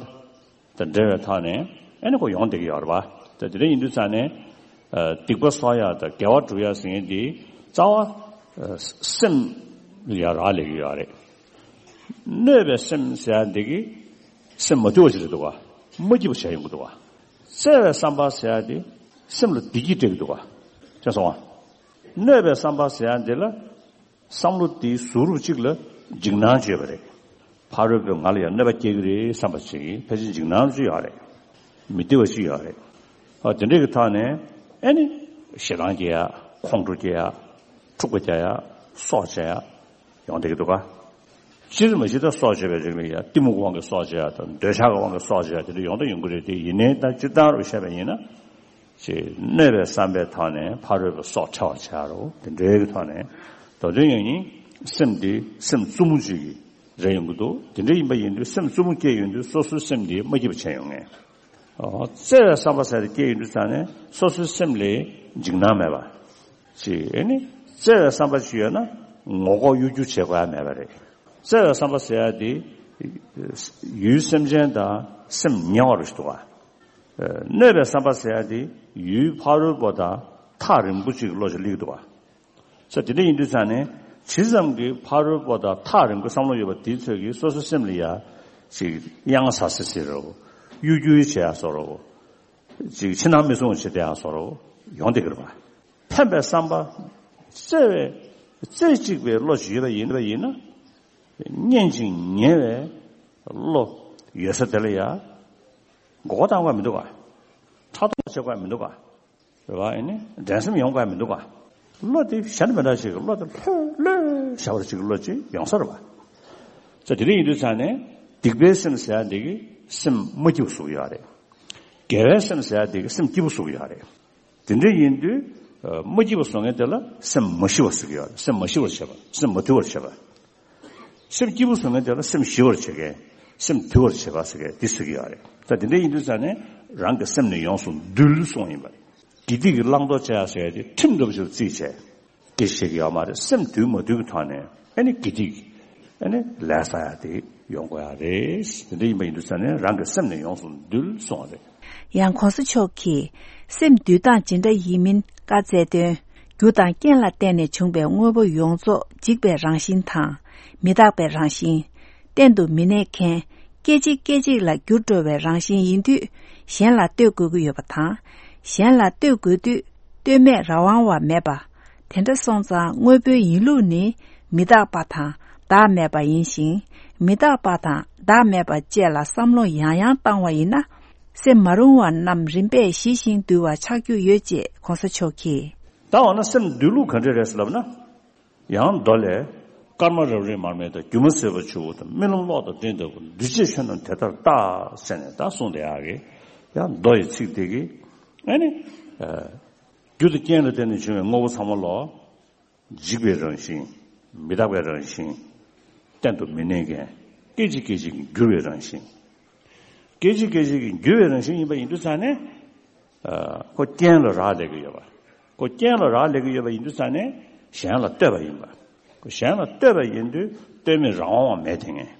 དང་འབྲེལ་བའི་ཐོག་ནས་ཨ་ནི་ཁོ་ཡོང་བསྡད་ཀྱི་ཡོད་རེད་པ། ད་དེ་འདྲ་ཡིན་དུས་ཙང་ནས། སྡིག་པ་གསོག་ཡག་དང་དགེ་བ་སྒྲུབ་ཡག་ཟེར་མཁན་འདི་རྩ་བ། སེམས་ལ་ཡ་རག་ལས་ཀྱི་ཡོད་རེད། གནོད་པའི་སེམས་ཟེར་ཡ་འདི་གིས་སེམས་མ་དུལ་བ་ཞིག་རེད་འདུག་ག། མ་སྐྱིད་པ་བྱས་ཡོང་གི་འདུག་ག། བརྩེ་བའི་བསམ་པ་ཟེར་ཡ་འདི་སེམས་ལ་བདེ་སྐྱིད་སྤྲད་ཀྱི་འདུག་ག། ཤེས་སོང་ང་། གནོད་པའི་བསམ་པ་ཟེར་ཡ་འདི་ལ། བསམ་བློ་དེའི་ཟུར་རུབ་གཅིག་ལ་འཇིགས་སྣང་བྱས་པ་རེད། ཕ་རོལ་པོས་ང་ལ་ཡང་གནོད་པ་སྐྱེལ་གྱི་རེད་བསམ་པ་ཞིག་ཕལ་ཆེར་འཇིགས་སྣང་ཅིག་ཡོད་རེད། མི་བདེ་བ་ཞིག་ཡོད་རེད། ཨ་དེ་འདྲའི་གི་ཐོག་ནས་ཨ་ནི་ཞེ་སྡང་སྐྱེ་ཡ། ཁོང་ཁྲོ་སྐྱེ་ཡ། འཁྲུག་པ་རྒྱག་ཡ། སྲོག་བཅད་ཡ། ཡོང་བསྡད་ཀྱི་འདུག་ག། སྤྱིར་མ་གཞི་ད་སྲོག་བཅད་པའི་རིགས་ལ་ཡ་གཏི་མུག་དབང་གིས་སྲོག་བཅད་ཡ་དང་འདོད་ཆགས་ཀྱི་དབང་གིས་སྲོག་བཅད་ཡ་དེ་འདྲ་ཡོང་ད་ཡོང་གི་རེད་དེ། ཡིན་ནའི་ད་སྤྱིར་བཏང་རུ་བཤད་པ་ཡིན་ན། ཅེས་གནོད་པའི་བསམ་པའི་ཐོག་ནས་ཕ་རོལ་པོའི་སྲོག་ཕྲལ་བར་བྱ་རོ། དེ་འདྲའི་གི་ཐོག་ནས་ད་དུང་ཡང་ཡིན། སེམས་འདི་སེམས་རྩུབ་མོ་ཅིག་གི་རེ་ཡོང་གི་འདུག། དེ་འདྲ་ཡིན་པ་ཡིན་དུས་སེམས་རྩུབ་མོ་སྐྱེས་ཡོང་དུས་སོ་སོའི་སེམས་འདི་མ་སྐྱིད་པ་བྱས་ཡོང་ངེས། ཨོ། བརྩེ་བའི་བསམ་པ་ཟེར་དེ་སྐྱེས་ཡོང་དུས་ཙང་ནས་སོ་སོའི་སེམས་ལ་འཇིགས་སྣང་མེད་པ་ཅིག། ཨེ་ནི་བརྩེ་བའི་བསམ་པ་ཅིག་ཡོད་ན་ངོ་ལྐོག་གཡོ་སྒྱུ་བྱེད་དགོས་ཡ་མེད་པ་རེད། བརྩེ་བའི་བསམ་པ་ཟེར་ཡ་དེ་ཡུལ་སེམས་ཅན་དང་སེམས་ཉེ་བ་རུ་ཞིག་འདུག་ག། གནོད་པའི་བསམ་པ་ཟེར་ཡ་དེ་ཡུལ་ཕ་རོལ་པོ་དང་ཐག་རིང་པོ་ཅིག་གི་བློ་ཞིག་སླེབས་འདུག་ག། ས་དེ་འདྲ་ཡིན་དུས་ཙང་ནས་ཇི་ཙམ་གྱིས་ཕ་རོལ་པོ་དང་ཐག་རིང་པོའི་བསམ་བློ་ཡོད་པ་དེའི་ཚོད་ཀྱིས་སོ་སོའི་སེམས་ལ་ཡ་ཅིག་གཡང་ཟ་སི་སི་རོ། གཡོ་སྒྱུ་བྱེད་ཡ་བཟོ་རོ། ཅིག་ཕྱི་ནང་མི་སྲུང་བ་བྱེད་བསྡད་ཡ་བཟོ་རོ། ཡོང་བསྡད་ཀྱི་རེད་པ། ཕན་པའི་བསམ་པ། བརྩེ་བའི། རྩེ་གཅིག་པའི་བློ་ཞིག་ཡོད་པ་ཡིན་པ་ཡིན་ན། སྙན་ཅིང་ཉེ་བའི་བློ་ཡོད་ས་དེ་ལ་ཡ་མགོ་སྐོར་བཏང་དགོས་མི་འདུག་ག། ཕྲག་དོག་བྱེད་དགོས་མི་འདུག་ག། རེད་པ། ཨེ་ནི་འགྲན་སེམས་ཡོང་དགོས་མི་འདུག་ག། བློ་དེ་གཞན་དང་མི་འདྲ་ཞིག་གི་བློ་དེ་ལྷོད་ལྷོད་བཞག་པ་ཅིག་གི་བློ་ཅིག་ཡོང་ས་རེད་པ། ས་དེ་འདྲ་ཡིན་དུས་ཙང་ནས་སྡིག་པའི་སེམས་ཟེར་ཡ་འདི་གིས་སེམས་མ་སྐྱིད་པོ་བཟོ་གི་ཡོད་རེད། དགེ་བའི་སེམས་ཟེར་ཡ་འདི་གིས་སེམས་སྐྱིད་པོ་བཟོ་གི་ཡོད་རེད། དེ་འདྲ་ཡིན་དུས། ཨ། མ་སྐྱིད་པ་བཟོ་མཁན་དེ་ལ་སེམས་མ་ཞི་བ་ཟེར་གྱི་ཡོད་རེད། སེམས་མ་ཞི་བར་བྱེད་པ། སེམས་མ་དུལ་བར་བྱེད་པ། སེམས་སྐྱིད་པོ་བཟོ་མཁན་དེ་ལ་སེམས་ཞི་བར་བྱེད་མཁན། སེམས་དུལ་བར་བྱེད་པ་ཟེར་མཁན་དེ་ཟེར་གྱི་ཡོད་རེད། ད་དེ་འདྲ་ཡིན་དུས་ཙང་ནས་རང་གི་སེམས་ནི་ཡོངས་སུ་འདུལ་གསུངས་ཡིན་པ་རེད། དགེ་སྡིག་གི་བླང་དོར་བྱེད་ཡ་ཟེར་ཡ་དེ་ཁྲིམས་འདྲ་པོ་ཞིག་ལ་བརྩིས་བྱས། དེ་བཤད་ཀྱི་ཡོད་མ་རེད། སེམས་དུལ་མ་དུལ་གྱི་ཐོག་ནས་ཨ་ནི་དགེ་སྡིག་ཨ་ནི་ལས་བསགས་ཡ་དེ་ཡོང་དགོས་ཡ་རེད། དེ་འདྲ་ཡིན་པ་ཡིན་དུས་ཙང་ནས་རང་གི་སེམས་ནི་ཡོངས་སུ་འདུལ་གསུངས་པ་རེད། ཡང་གོང་ས་མཆོག་གིས་སེམས་འདུལ་སྟངས་ཇི་འདྲ་ཡིན་མིན་བཀའ་སྩལ་དོན། རྒྱུ་དང་རྐྱེན་ལ་བརྟེན་ནས་བྱུང་བའི་དངོས་པོ་ཡོངས་རྫོགས་འཇིག་པའི་རང་བཞིན་དང་། མི་རྟག་པའི་རང་བཞིན། གཏན་དུ་མི་གནས་མཁན། སྐད་ཅིག་སྐད་ཅིག་ལ་འགྱུར་འགྲོ་བའི་རང་བཞིན་ཡིན་དུས། གཞན་ལ་ལྟོས་དགོས་ཀྱི་ཡོད་པ་དང་། གཞན་ལ་ལྟོས་དགོས་དུས་ལྟོས་མེད་རང་དབང་བ་མེད་པ། དེ་འདྲ་སོང་ཙང་དངོས་པོའི་ཡིན་ལུགས་ནི་མི་རྟག་པ་དང་བདག་མེད་པ་ཡིན་ཞིང་། མི་རྟག་པ་དང་བདག་མེད་པ་བཅས་ལ་བསམ་བློ་ཡང་ཡང་བཏང་བ་ཡིན་ན། སེམས་མ་རུངས་པ་རྣམས་རིམ་པས་ཞི་ཞིང་དུལ་བ་ཆགས་རྒྱུ་ཡོད་ཅེས་གོང་ས་མཆོག་གིས། ད་འོ་ན་སེམས་འདུལ་ལུགས་ག་འདྲ་རེད་ལབ་ན། ཡང་མདོ་ལས། སྐར་མ་རབ་རིབ་མར་མེ་དང་། སྒྱུ་མ་ཟིལ་པ་ཆུ་བོ་དང་། རྨི་ལམ་གློག་དང་སྤྲིན་ལྟ་བུ། འདུས་བྱས་ཆོས་རྣམས་དེ་ལྟར་བལྟ། ཟེར་ནས་ད་གསུངས་བསྡད་ཡག་གི། ཡང་མདོ་ཡི་ཚིག་དེ་གིས། ཨ་ནི། ཨ། རྒྱུ་དང་རྐྱེན་ལ་བརྟེན་ནས་བྱུང་བའི་དངོས་པོ་ཚང་མ་ལོ། འཇིག་པའི་རང་བཞིན། མི་རྟག་པའི་རང་བཞིན། གཏན་དུ་མི་གནས་མཁན། སྐད་ཅིག་སྐད་ཅིག་གིས་འགྱུར་བའི་རང་བཞིན། སྐད་ཅིག་སྐད་ཅིག་གིས་འགྱུར་བའི་རང་བཞིན་ཡིན་པ་ཡིན་དུས་ཙང་ནས། ཨ། ཁོ་རྐྱེན་ལ་རག་ལས་ཀྱི་ཡོད་པ། ཁོ་རྐྱེན་ལ་རག་ལས་ཀྱི་ཡོད་པ་ཡིན་དུས་ཙང་ནས་གཞན་ལ་ལྟོས་པ་ཡིན་པ། ཁོ་གཞན་ལ་ལྟོས་པ་ཡིན་དུས་ལྟོས་མེད་རང་དབང་བ་མེད་དེ་ངེས།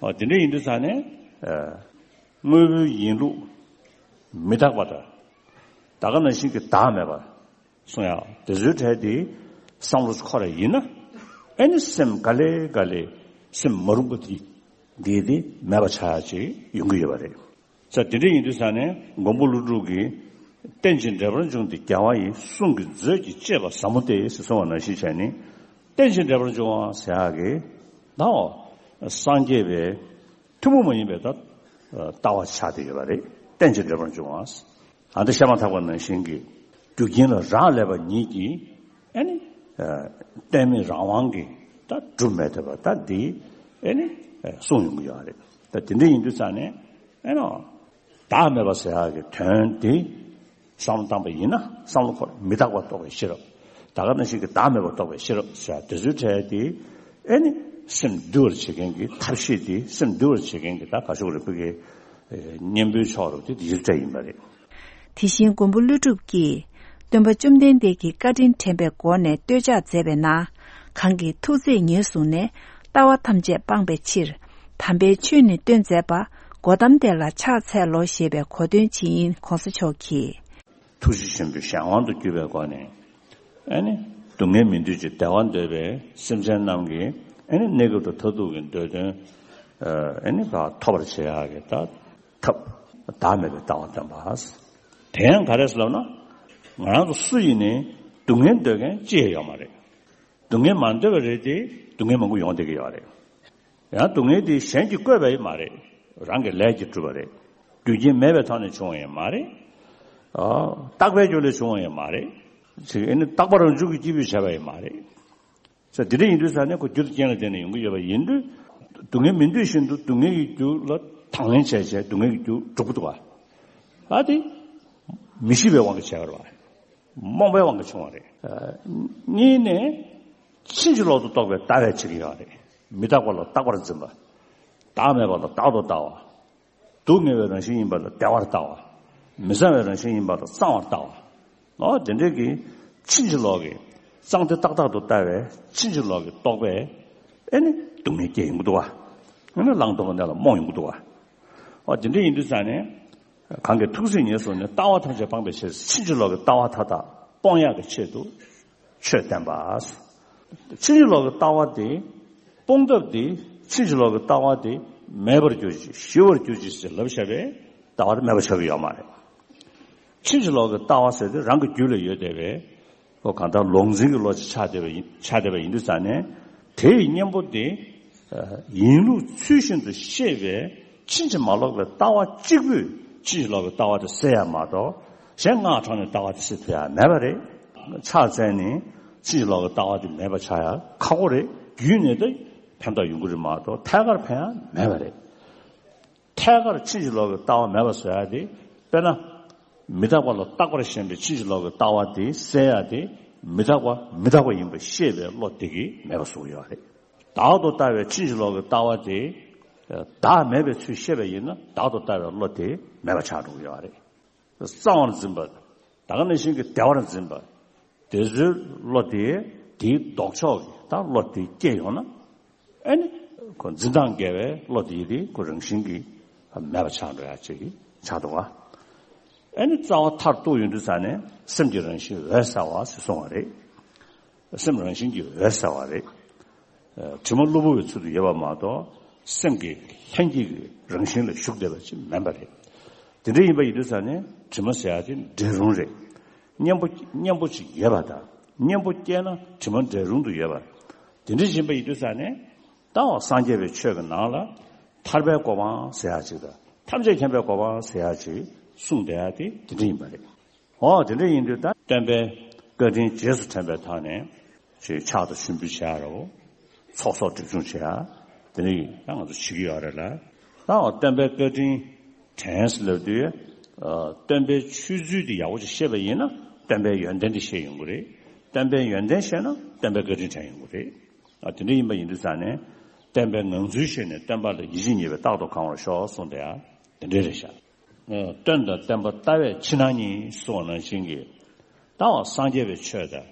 ཨོ་དེ་འདྲ་ཡིན་དུས་ཙང་ནས། ཨ། དངོས་པོའི་ཡིན་ལུགས་མི་རྟག་པ་དང་། ད་ག་ནང་བཞིན་གྱི་བདག་མེད་པ། གསུང་ཡག་དེ་ཚོའི་གྲས་དེ་བསམ་བློ་འཁོར་བ་ཡིན་ན། ཨེ་ནི་སེམས་ག་ལེ་ག་ལེ་སེམས་མ་རུངས་པ་དེ་འདི་དེ་མེད་པ་ཆགས་ཡག་ཅིག་ཡོང་གི་ཡོད་པ་རེད། ས་དེ་འདྲ་ཡིན་དུས་ས་ནས་མགོན་པོ་ཀླུ་སྒྲུབ་ཀྱིས། རྟེན་ཅིང་འབྲེལ་པར་འབྱུང་སྟེ་རྒྱལ་བ་ཡི། གསུང་གི་མཛོད་ཀྱིས་བཅད་པ་ཟབ་མོ་སྟེ། ཞེས་གསུངས་པ་ནང་བཞིན་བྱས་ནས། རྟེན་ཅིང་འབྲེལ་པར་འབྱུང་བ་ཟེར་ཡག་གི། ད་འོ། སངས་རྒྱས་པའི། ཐུན་མོང་མ་ཡིན་པའི་ད་ལྟ་བ་ཆགས་བསྡད་ཡོད་པ་རེད། རྟེན་ཅིང་འབྲེལ་པར་འབྱུང་བ། ཨ་འདི་བཤད་མ་ཐག་པ་ནང་བཞིན་གྱི་རྒྱུ་རྐྱེན་ལ་རག་ལས་པ་ཉིད་ཀྱིས་ཨ་ནི་རྟེན་མེད་རང་དབང་གིས་ད་གྲུབ་མེད་ཐུབ་པ་ད་འདི་ཨ་ནི་གསུངས་ཡོང་གི་ཡོད་རེད། ད་དེ་འདྲ་ཡིན་དུས་ཙང་ནས་ཨ་ནི་བདག་མེད་པ་ཟེར་ཡག་གི་དོན་དེ་བསམ་བློ་བཏང་པ་ཡིན་ན་བསམ་བློ་འཁོར་མི་རྟག་པ་རྟོགས་པའི་ཤེས་རབ། ད་ག་ནང་བཞིན་གྱི་བདག་མེད་པ་རྟོགས་པའི་ཤེས་རབ་ཟེར་དེ་ཚོའི་གྲས་དེ་ཨེ་ནི་སེམས་འདུལ་བར་བྱེད་མཁན་གྱི་ཐབས་ཤེས་དེ་སེམས་འདུལ་བར་བྱེད་མཁན་གྱི་ད་ག་ཤོག་རེ་ཕུལ་གྱི་གཉེན་པོའི་ཕྱོགས་རུ་དེ་དེ་ཚོའི་གྲས་ཡིན་པ་རེད། དེ་བཞིན་མགོན་པོ་ཀླུ་སྒྲུབ་ཀྱིས་སྟོན་པ་བཅོམ་ལྡན་འདས་ཀྱི་བཀའ་དྲིན་དྲན་པའི་སྒོ་ནས་བསྟོད་ཕྱག་མཛད་པའི་ནང་། གང་གིས་ཐུགས་བརྩེས་ཉེར་བཟུང་ནས། ལྟ་བ་ཐམས་ཅད་སྤངས་པའི་ཕྱིར། དམ་པའི་ཆོས་ནི་སྟོན་མཛད་པ། གོ་ཏམ་དེ་ལ་ཕྱག་འཚལ་ལོ། ཞེས་པའི་གོ་དོན་ཇི་ཡིན་གོང་ས་མཆོག་གིས། ཐུགས་རྗེ་ཆེན་པོའི་གཞན་དབང་དུ་གྱུར་པའི་སྒོ་ནས། ཨེ་ནི། སྡུག་བསྔལ་མི་འདོད་ཅིང་བདེ་བ་འདོད་པའི་སེམས་ཅན་རྣམས་ཀྱི་ཨེ་ནི་གནས་སྐབས་དང་མཐར་ཐུག་གི་འདོད་དོན། ཨེ་ནི་བ་ཐོབ་པར་བྱེད་ཡག་གི་ད་ཐབས་བདག་མེད་པའི་ལྟ་བ་བསྟན་པ། དེ་ཡང་ག་རེ་ཟེར་ལབ་ན། ང་རང་ཚོ་སུ་ཡིན་ནའི་སྡུག་བསྔལ་འདོད་མཁན་ཅི་ཡང་ཡོད་མ་རེད། སྡུག་བསྔལ་མ་འདོད་པ་རེད་དེ་སྡུག་བསྔལ་མང་པོ་ཡོང་བསྡད་ཀྱི་ཡོད་རེད། ཡང་སྡུག་བསྔལ་དེ་གཞན་གྱིས་བཀོད་པ་ཡང་མ་རེད། རང་གི་ལས་ཀྱིས་གྲུབ་པ་རེད། རྒྱུ་རྐྱེན་མེད་པའི་ཐོག་ནས་བྱུང་བ་ཡང་མ་རེད། ཨ། རྟག་པའི་རྒྱུ་ལས་བྱུང་བ་ཡང་མ་རེད། ཅིག་ཨེ་ནི་རྟག་པ་རང་བྱུང་གི་སྐྱེས་བུས་བྱས་པ་ཡང་མ་རེད། ས་དེ་འདྲ་ཡིན་དུས་ས་ནས་ཁོ་རྒྱུ་དང་རྐྱེན་ལ་བརྟེན་ནས་ཡོང་གི་ཡོད་པ་ཡིན་དུས། སྡུག་བསྔལ་མི་འདོད་བཞིན་དུ་སྡུག་བསྔལ་གྱི་རྒྱུ་ལ་དང་ལེན་བྱས་བྱས་སྡུག་བསྔལ་གྱི་རྒྱུ་འགྲུབ་ཀྱི་འདུག་ག་ཨ་དེ། མི་ཤེས་པའི་དབང་གིས་བྱས་པ་རེད་བ། རྨོངས་པའི་དབང་གིས་བྱུང་བ་རེད། ཨ། གཉིས་ནས། ཕྱིན་ཅི་ལོག་ཏུ་རྟོག་པའི་ལྟ་བས་བྱེད་ཀྱི་ཡོད་རེད། མི་རྟག་པ་ལ་རྟག་པར་འཛིན་པ། བདག་མེད་པ་ལ་བདག་ཏུ་ལྟ་བ། སྡུག་བསྔལ་བའི་རང་བཞིན་ཡིན་པ་ལ་བདེ་བར་ལྟ་བ། མི་བཟང་བའི་རང་བཞིན་ཡིན་པ་ལ་བཟང་བར་ལྟ་བ། ཨོ་དེ་འདྲའི་གི་ཕྱིན་ཅི་ལོག་གི་གཙང་དེ་ཏག་ཏག་ཏུ་ལྟ་བའི་ཕྱིན་ཅི་ལོག་གི་རྟོག་པས་ཨེ་ནི་སྡུག་བསྔལ་སྐྱེ་ཡོང་གི་འདུག་བ། ཨེ་ནི་བླང་དོར་གྱི་གནས་ལ་རྨོངས་ཡོང་གི་འདུག་བ། ཨོ་དེ་འདྲ་ཡིན་དུས་ཙང་ནས། གང་གིས་ཐུགས་བརྩེས་ཉེར་བཟུང་ནས། ལྟ་བ་ཐམས་ཅད་སྤངས་པའི་ཕྱིར། ཕྱིན་ཅི་ལོག་གི་ལྟ་བ་མཐའ་དག་སྤོང་ཡག་གི་ཆེད་དུ་ཆོས་བསྟན་པ། ཕྱིན་ཅི་ལོག་གི་ལྟ་བ་དེ་སྤོང་ཐབས་དེ། ཕྱིན་ཅི་ལོག་གི་ལྟ་བ་དེ་མེད་པར་གྱུར་ཅིག་ཞི་བར་གྱུར་ཅིག་ཟེར་ལབ་བཞག་པས་ལྟ་བ་དེ་མེད་པ་ཆགས་ཀྱི་ཡོད་མ་རེད། ཕྱིན་ཅི་ལོག་གི་ལྟ་བ་ཟེར་དེ་རང་གི་རྒྱུད་ལ་ཡོད་བསྡད་པས། ཁོ་གང་ལྟར་ལུང་འཛིན་གྱི་བློ་ཅིག་ཆགས་བསྡད་པ་ཡིན། ཆགས་བསྡད་པ་ཡིན་དུས་ཙང་ནས། དེ་ཡི་གཉེན་པོ་དེ། ཨ། ཡིན་ལུགས་ཚུལ་བཞིན་དུ་ཤེས་པའི་ཕྱིན་ཅི་མ་ལོག་པའི་ལྟ་བ་གཅིག་པུས་ཕྱིན་ཅི་ལོག་གི་ལྟ་བ་དེ་སེལ་ཡག་མ་གཏོགས། གཞན་སྔགས་ཕྲང་ནས་ལྟ་བ་དེ་སེལ་ཐུབ་ཡག་མེད་པ་རེད། ཕྱག་འཚལ་ནས་ཕྱིན་ཅི་ལོག་གི་ལྟ་བ་དེ་མེད་པ་ཆགས་ཡག་ཁག་པོ་རེད། བརྒྱུད་ནས་ད་ཕན་ཐོགས་ཡོང་གི་རེད་མ་གཏོགས་ཐད་ཀར་ཕན་ཡག་མེད་པ་རེད། ཐད་ཀར་ཕྱིན་ཅི་ལོག་གི་ལྟ་བ་མེད་པ་བཟོ་ཡག་དེ། དཔེར་ན། མི་རྟག་པ་ལ་རྟག་པར་ཞེན་པའི་ཕྱིན་ཅི་ལོག་གི་ལྟ་བ་དེ་སེལ་ཡག་དེ། མི་རྟག་པ་མི་རྟག་པ་ཡིན་པ་ཤེས་པའི་བློ་དེ་གིས་མེད་པ་བཟོ་གི་ཡོད་རེད། བདག་ཏུ་ལྟ་བའི་ཕྱིན་ཅི་ལོག་གི་ལྟ་བ་དེ། བདག་མེད་པའི་ཚུལ་ཤེས་པ་ཡིན་ན་བདག་ཏུ་ལྟ་བའི་བློ་དེ་མེད་པ་ཆགས་འགྲོ་གི་ཡོད་རེད། གཙང་བར་འཛིན་པ། ད་ག་ནང་བཞིན་གྱི་བདེ་བར་འཛིན་པ། དེ་ཚོའི་བློ་དེ་དེའི་ལྡོག་ཕྱོགས་ཀྱི་ད་བློ་དེ་སྐྱེས་ཡོང་ན། ཨེ་ནི་ཁོ་འཛིན་སྟངས་འགལ་བའི་བློ་དེ་དེ་ཁོ་རང་བཞིན་གྱིས་མེད་པ་ཆགས་འགྲོ་ཡག་ཅིག་ཆགས་འདུག་བ། ཨེ་ནི་རྩ་བ་མཐར་གཏུགས་ཡོང་དུས་ཙ་ནས་སེམས་ཀྱི་རང་བཞིན་འོད་གསལ་བ་ཞེས་གསུངས་པ་རེད། སེམས་རང་བཞིན་གྱིས་འོད་གསལ་བ་རེད། ཨ། དྲི་མ་གློ་བུར་བའི་ཚུལ་དུ་ཡོད་པ་མ་གཏོགས། སེམས་ཀྱི་ལྷན་སྐྱེས་ཀྱི་རང་བཞིན་ལ་ཞུགས་བསྡད་པ་ཅིག་མིན་པ་རེད། དེ་འདྲ་ཡིན་པ་ཡིན་དུས་ཙང་ནས་དྲི་མ་ཟེར་ཡ་དེ་འབྲས་རུང་རེད། གཉེན་པོ་གཉེན་པོ་ཅིག་ཡོད་པ་དང་གཉེན་པོ་སྐྱེས་ན་དྲི་མ་འབྲས་རུང་དུ་ཡོད་པ། དེ་འདྲ་ཡིན་པ་ཡིན་དུས་ཙང་ནས་ད་འོ་སངས་རྒྱས་པའི་ཆོས་ཀྱི་ནང་ལ་ཐར་པའི་གོ་འཕང་ཟེར་ཡ་ཅིག་དང་ཐམས་ཅད་མཁྱེན་པའི་གོ་འཕང་ཟེར་ཡ་ཅིག་གསུངས་བསྡད་ཡ་དེ་དེ་འདྲ་ཡིན་པ་རེད། འོ་དེ་འདྲ་ཡིན་དུས་ད་སྟོན་པའི་བཀའ་དྲིན་རྗེས་སུ་དྲན་པའི་ཐོག་ནས་ཅིག་ཕྱག་ཏུ་ཞུ་འབུལ་བྱེད་ཡ་རོ། ཚོགས་གསོག་སྒྲིབ་སྦྱོང་བྱེད་ཡ། དེ་ནས་ད་ང་ཚོ་བྱེད་ཀྱི་ཡོད་རེད་ལ། ད་འོ་སྟོན་པའི་བཀའ་དྲིན་དྲན་ཟེར་ལབ་དུས། ཨ། སྟོན་པའི་ཆོས་ཚུལ་དེ་ཡག་པོ་ཅིག་ཤེས་པ་ཡིན་ན་སྟོན་པའི་ཡོན་ཏན་དེ་ཤེས་ཡོང་གི་རེད། སྟོན་པའི་ཡོན་ཏན་ཤེས་ན་སྟོན་པའི་བཀའ་དྲིན་དྲན་ཡོང་གི་རེད། ཨ། དེ་འདྲ་ཡིན་པ་ཡིན་དུས་ཙང་ནས་སྟོན་པའི་ངང་ཚུལ་ཤེས་ནས་སྟོན་པ་ལ་ཡིད་ཆེས་ཉེས་པའི་རྟག་ཏུ་གང་བར་ཤོག་གསུངས་དེ་ཡ་དེ་འདྲ་རེད་ཤག་སྟོན་དང་བསྟན་པ་ལྟ་བས་ཕྱི་ནང་གཉིས་གསུངས་པ་ནང་བཞིན་གྱི། ད་འོ་སངས་རྒྱས་པའི་ཆོས་དང་།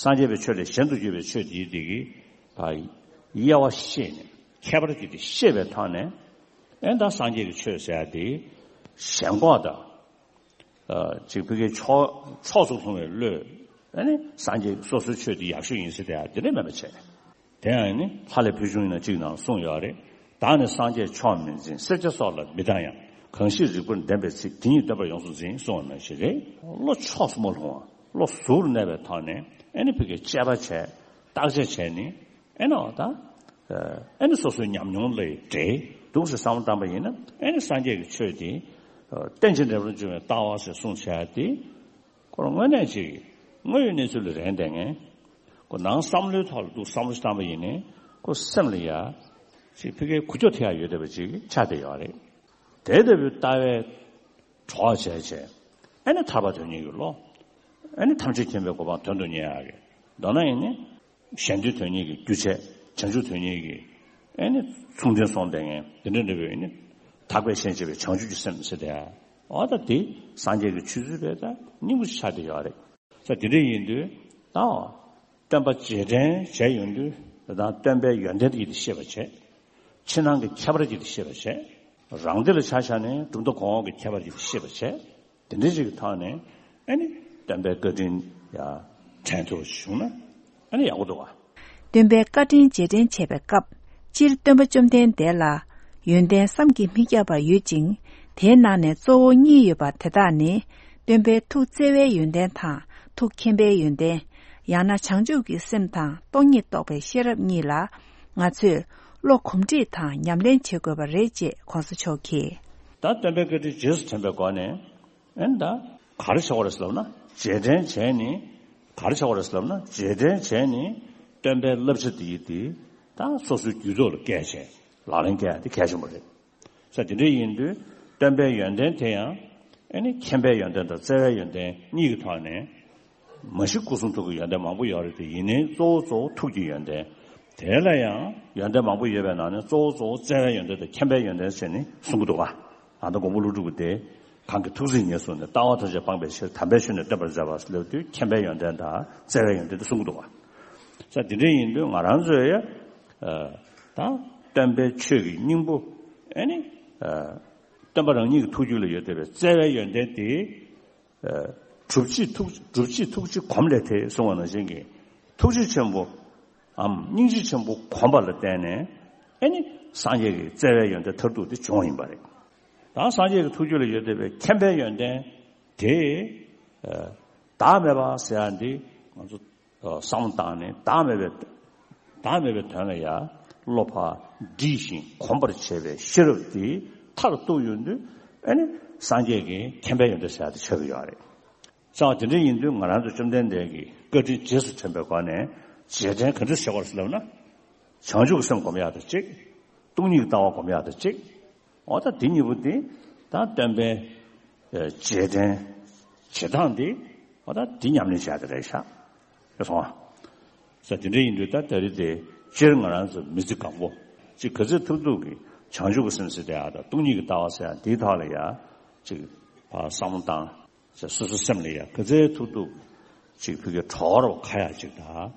སངས་རྒྱས་པའི་ཆོས་ལས་གཞན་དུ་གྱུར་པའི་ཆོས་དེའི་དེ་གི་ད་དབྱེ་བ་ཤེས་ནས་ཁྱད་པར་གྱིས་དེ་ཤེས་པའི་ཐོག་ནས། ཨེ་ད་སངས་རྒྱས་ཀྱི་ཆོས་ཟེར་ཡ་དེ་ཞེན་ཁོག་དང་། ཨ། ཅིག་ཕ་གིའི་ཕྱོགས་ཕྱོགས་སུ་ལྷུང་བའི་བློས། ཨ་ནི་སངས་རྒྱས་སོ་སོའི་ཆོས་དེ་ཡག་ཤོས་ཡིན་ཟེར་དེ་ཡ་དེ་འདྲ་མེད་པ་བྱས། དེ་ཡང་ནི་ལྷ་ལས་ཕུལ་བྱུང་ཡིན་ན་གཅིག་ནང་གསུངས་ཡོད་རེད། བདག་ནི་སངས་རྒྱས་མཆོག་མིན་འཛིན། སེར་སྐྱ་སོགས་ལ་མི་སྡང་ཡང་། གང་ཞིག་རིགས་པར་ལྡན་པའི་ཚིག་དེ་ཉིད་སྟོན་པར་ཡོངས་སུ་འཛིན་གསུངས་པ་ནང་བཞིན་རེད། བློ་ཕྱོགས་སུ་མ་ལྷུང་བ། བློ་གཟུར་གནས་པའི་ཐོག་ནས་ཨེ་ནི་ཕ་གིའི་དཔྱད་པ་བྱས། བརྟག་དཔྱད་བྱས་ནི་ཨེ་ནི་འོ་ད། ཨེ་ནི་སོ་སོའི་ཉམས་མྱོང་ལས་འབྲས་འདུག་ཟེར་བསམ་བློ་བཏང་པ་ཡིན་ན་ཨེ་ནི་སངས་རྒྱས་ཀྱི་ཆོས་དེ། ཨ། རྟེན་ཅིང་འབྲེལ་པར་འབྱུང་བའི་ལྟ་བ་ཟེར་གསུངས་བྱས་ཏེ། ཁོ་རང་དངོས་གནས་ཅིག་དངོས་ཡོད་གནས་ཚུལ་ལ་རན་བསྡད་མཁན། ཁོ་ནང་བསམ་བློའི་ཐོག་ལ་འདུག་བསམ་བློ་ཞིག་བཏང་པ་ཡིན་ནའི་ཁོ་སེམས་ལ་ཡ། ཅིག་ཕ་གིའི་འགུལ་སྐྱོད་ཐེབས་ཡ་ཡོད་བསྡད་པ་ཅིག་ཆགས་བསྡད་ཡོད་རེད། དེ་ལྟ་བུའི་ལྟ་བའི་གྲོགས་བྱས་བྱས། ཨེ་ནི་ཐར་པ་དོན་གཉེར་གྱི་བློ། ཨེ་ནི་ཐམས་ཅད་མཁྱེན་པའི་གོ་འཕང་དོན་དུ་གཉེར་ཡ་གི། མདོར་ན་ཡིན་ནི། གཞན་དོན་དོན་གཉེར་གྱི་རྒྱུ་བྱས། བྱང་ཆུབ་དོན་གཉེར་གྱི། ཨེ་ནི་མཚུངས་ལྡན་སོང་བསྡད་མཁན་དེ་འདྲ་འདྲ་བའི་ནི། དག་པའི་ཞེན་བྱེད་པའི་བྱང་ཆུབ་ཀྱི་སེམས་ཟེར་དེ། འོ་ད་དེ་སངས་རྒྱས་ཀྱི་ཆོས་ཚུལ་བས་ད་སྙིང་པོ་ཆགས་བསྡད་ཡོད་རེད། ས་དེ་འདྲ་ཡིན་དུས་ད། སྟོན་པ་རྗེས་དྲན་བྱས་ཡོང་དུས་ད་སྟོན་པའི་ཡོན་ཏན་དེ་ཡིད་ཤེས་པ་བྱས། ཕྱི་ནང་གི་ཁྱད་པར་གྱིས་ཤེས་པར་བྱས། རང་སྡེ་ལ་ཆ་བཞག་ནས་གྲུབ་མཐའ་གོང་འོག་གི་ཁྱད་པར་གྱིས་ཤེས་པར་བྱས། དེ་འདྲའི་ཞིག་གི་ཐོག་ནས་ཨ་ནི་སྟོན་པའི་བཀའ་དྲིན་ཡང་དྲན་ཐུབ་པ་ཞིག་བྱུང་ན་ཨ་ནི་ཡག་པོ་འདུག་བ། སྟོན་པའི་བཀའ་དྲིན་རྗེས་དྲན་བྱེད་པའི་སྐབས། སྤྱིར་སྟོན་པ་བཅོམ་ལྡན་འདས་ལ་ཡོན་ཏན་བསམ་གྱིས་མི་ཁྱབ་པ་ཡོད་ཅིང་། དེའི་ནང་ནས་གཙོ་བོ་གཉིས་ཡོད་པ་དེ་དག་ནི། སྟོན་པའི་ཐུགས་བརྩེ་བའི་ཡོན་ཏན་དང་ཐུགས་མཁྱེན་པའི་ཡོན་ཏན། ཡང་ན་བྱང་ཆུབ་ཀྱི་སེམས་དང་སྟོང་ཉིད་རྟོགས་པའི་ཤེས་རབ་གཉིས་ལ། ང་ཚོས་བློ་གོམས་འདྲིས་དང་ཉམས་ལེན་བྱེད་དགོས་པ་རེད་ཅེས་༸གོང་ས་མཆོག་གིས། ད་སྟོན་པའི་བཀའ་དྲིན་རྗེས་སུ་དྲན་པའི་སྒོ་ནས། ཨེ་ད་ག་རེ་བྱ་བ་རེད་ཟེར་ལབ་ན་རྗེས་དྲན་བྱས་ནས། ག་རེ་བྱ་བ་རེད་ཟེར་ལབ་ན་རྗེས་དྲན་བྱས་ནས་སྟོན་པའི་བསླབ་བྱ་དེ་ཡིས་དེ་ད་སོ་སོའི་རྒྱུད་ཐོག་ལ་བཀལ་བྱས་ལག་ལེན་བཀལ་ཡ་དེ་གལ་ཆེན་པོ་རེད། ས་དེ་འདྲ་ཡིན་དུས་སྟོན་པའི་ཡོན་ཏན་དེ་ཡང་ཨེ་ནི་མཁྱེན་པའི་ཡོན་ཏན་དང་བརྩེ་བའི་ཡོན་ཏན་གཉིས་ཀྱི་ཐོག་ནས། མ་གཞི་སྐུ་གསུང་ཐུགས་ཀྱི་ཡོན་ཏན་མང་པོ་ཡོད་རེད་དེ་ཡིན་ནའི་གཙོ་བོ་གཙོ་བོ་ཐུགས་ཀྱི་ཡོན་ཏན། དེ་ལ་ཡང་ཡོན་ཏན་མང་པོ་ཡོད་པའི་ནང་ནས་གཙོ་བོ་གཙོ་བོ་བརྩེ་བའི་ཡོན་ཏན་དང་མཁྱེན་པའི་ཡོན་ཏན་ཟེར་ནས་གསུང་གི་འདུག་བ། ཨ་ད་མགོན་པོ་ཀླུ་སྒྲུབ་ཀྱི་དེ། གང་གི་ཐུགས་བརྩེ་ཉེར་བཟུང་ནས་ལྟ་བ་ཐམས་ཅད་སྤངས་པའི་ཕྱིར་དམ་པའི་ཆོས་ནི་སྟོན་པར་མཛད་པ་ལབ་དུས་མཁྱེན་པའི་ཡོན་ཏན་དང་བརྩེ་བའི་ཡོན་ཏན་དེ་གསུང་གི་འདུག་བ། ས་དེ་འདྲ་ཡིན་དུས་ང་རང་ཚོས་ཡ། ད་སྟོན་པའི་ཆོས་ཀྱི་སྙིང་པོ། ཨེ་ནི། སྟོན་པ་རང་ཉིད་ཀྱི་ཐུགས་རྒྱུད་ལ་ཡོད་བསྡད་པའི་བརྩེ་བའི་ཡོན་ཏན་དེ། སྒྲུབ་བྱེད་ཐུགས་སྒྲུབ་བྱེད་ཐུགས་རྗེ་གོམས་ལས་ཐེག་གསུངས་པ་ནང་བཞིན་གྱི། ཐུགས་རྗེ་ཆེན་པོའམ་སྙིང་རྗེ་ཆེན་པོ་གོམས་པ་ལ་བརྟེན་ནས་ཨེ་ནི་སངས་རྒྱས་ཀྱི་བརྩེ་བའི་ཡོན་ཏན་མཐར་ཐུག་དེ་བྱུང་བ་ཡིན་པ་རེད། ད་སངས་རྒྱས་ཀྱི་ཐུགས་རྒྱུད་ལ་ཡོད་བསྡད་པའི་མཁྱེན་པའི་ཡོན་ཏན་དེ། བདག་མེད་པ་ཟེར་ཡ་འདི་ང་ཚོ་བསམ་བློ་བཏང་ནས་བདག་མེད་པའི་བདག་མེད་པའི་དོན་ལ་ཡ་བློ་ཕར་འདྲིས་ཤིང་གོམས་པར་བྱེད་པའི་ཤེས་རབ་དེ་མཐར་གཏུགས་ཡོང་དུས་ཨེ་ནི་སངས་རྒྱས་ཀྱི་མཁྱེན་པའི་ཡོན་ཏན་ཟེར་ཡ་དེ་ཆགས་ཀྱི་ཡོད་རེད། ཙང་དེ་འདྲ་ཡིན་དུས་ང་རང་ཚོ་བཅོམ་ལྡན་འདས་ཀྱི་བཀའ་དྲིན་རྗེས་སུ་དྲན་པའི་སྒོ་ནས་རྗེས་དྲན་ག་འདྲ་བྱེད་དགོས་ཟེར་ལབ་ན། བྱང་ཆུབ་ཀྱི་སེམས་སྒོམ་ཡག་དང་གཅིག་སྟོང་ཉིད་ཀྱི་ལྟ་བ་སྒོམ་ཡག་དང་གཅིག་འོ་ད་འདི་གཉིས་པོ་འདི་ད་སྟོན་པའི་རྗེས་དྲན་བྱེད་སྟངས་འདི་འོ་ད་འདི་ཉམས་ལེན་བྱེད་ཡག་དེ་རེད་ཤག་ཡོད་སོང་ཨ། ས་དེ་འདྲ་ཡིན་དུས་ད་ད་རེས་དེ་སྤྱིར་ང་རང་ཚོ་མི་ཚེ་གང་པོ་ཅིག་ག་ཚོད་ཐུབ་ཐུབ་ཀྱིས་བྱང་ཆུབ་ཀྱི་སེམས་ཟེར་དེ་ཡག་དང་སྟོང་ཉིད་ཀྱི་ལྟ་བ་ཟེར་ཡག་འདིའི་ཐོག་ལ་ཡ་ཅིག་ཕར་བསམ་བློ་བཏང་། ཅེས་སོ་སོའི་སེམས་ལ་ཡ་ག་ཚོད་ཐུབ་ཐུབ་ཅིག་ཕ་གིའི་གྲོགས་རོགས་ཁ་ཡག་ཅིག་དང་།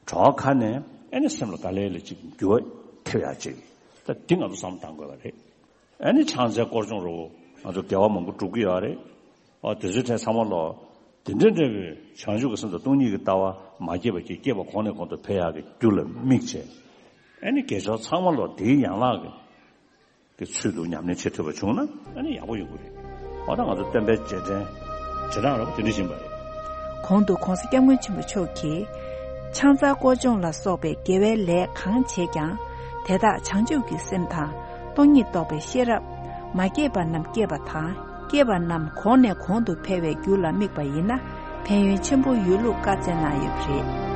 གྲོགས་ཁ་ནས་ཨེ་ནི་སེམས་ལ་དཀའ་ལས་ལ་ཅིག་འགྱུར་བ་ཐེབས་ཡག་ཅིག་ད་འདི་ང་ཚོ་བསམ་བློ་བཏང་དགོས་པ་རེད། ཨེ་ནི་ཕྱག་འཚལ་སྐོར་སྦྱོང་རོགས་ང་ཚོ་དགེ་བ་མང་པོ་སྒྲུབ་ཀྱི་ཡོད་རེད། ཨོ་དེ་ཚོའི་གྲས་ཚང་མ་ལོ། དེ་འདྲ་འདྲ་བའི་བྱང་ཆུབ་ཀྱི་སེམས་དང་སྟོང་ཉིད་ཀྱི་ལྟ་བ་མ་སྐྱེས་པ་ཅིག་སྐྱེས་པ་གོང་ནས་གོང་དུ་འཕེལ་ཡག་གི་རྒྱུ་ལ་དམིགས་བྱས། ཨེ་ནི་དགེ་སྦྱོར་ཚང་མ་ལོ་དེའི་ཡན་ལག་གི་ གི་ཚུལ་དུ་ཉམས་ལེན་བྱེད་ཐུབ་པ་བྱུང་ན་ཨ་ནི་ཡག་པོ་ཡོང་གི་རེད། འོ་ད་ང་ཚོ་སྟོན་པའི་རྗེས་དྲན་རྗེས་འབྲང་རོགས་དེ་འདྲ་བཞིན་པ་རེད། གོང་དུ་༧གོང་ས་༧སྐྱབས་མགོན་ཆེན་པོ་མཆོག་གིས་ཕྱག་འཚལ་སྐོར་སྦྱོང་ལ་སོགས་པའི་དགེ་བའི་ལས་གང་བྱས་ཀྱང་དེ་དག་བྱང་ཆུབ་ཀྱི་སེམས་དང་སྟོང་ཉིད་རྟོགས་པའི་ཤེས་རབ། མ་སྐྱེས་པ་རྣམས་སྐྱེས་པ་དང་། སྐྱེས་པ་རྣམས་གོང་ནས་གོང་དུ་འཕེལ་བའི་རྒྱུ་ལ་དམིགས་པ་ཡིན་ན་ཕན་ཡོན་ཆེན་པོ་ཡོད་ལུགས་བཀའ་སྩལ་གནང་ཡོད་པ་རེད།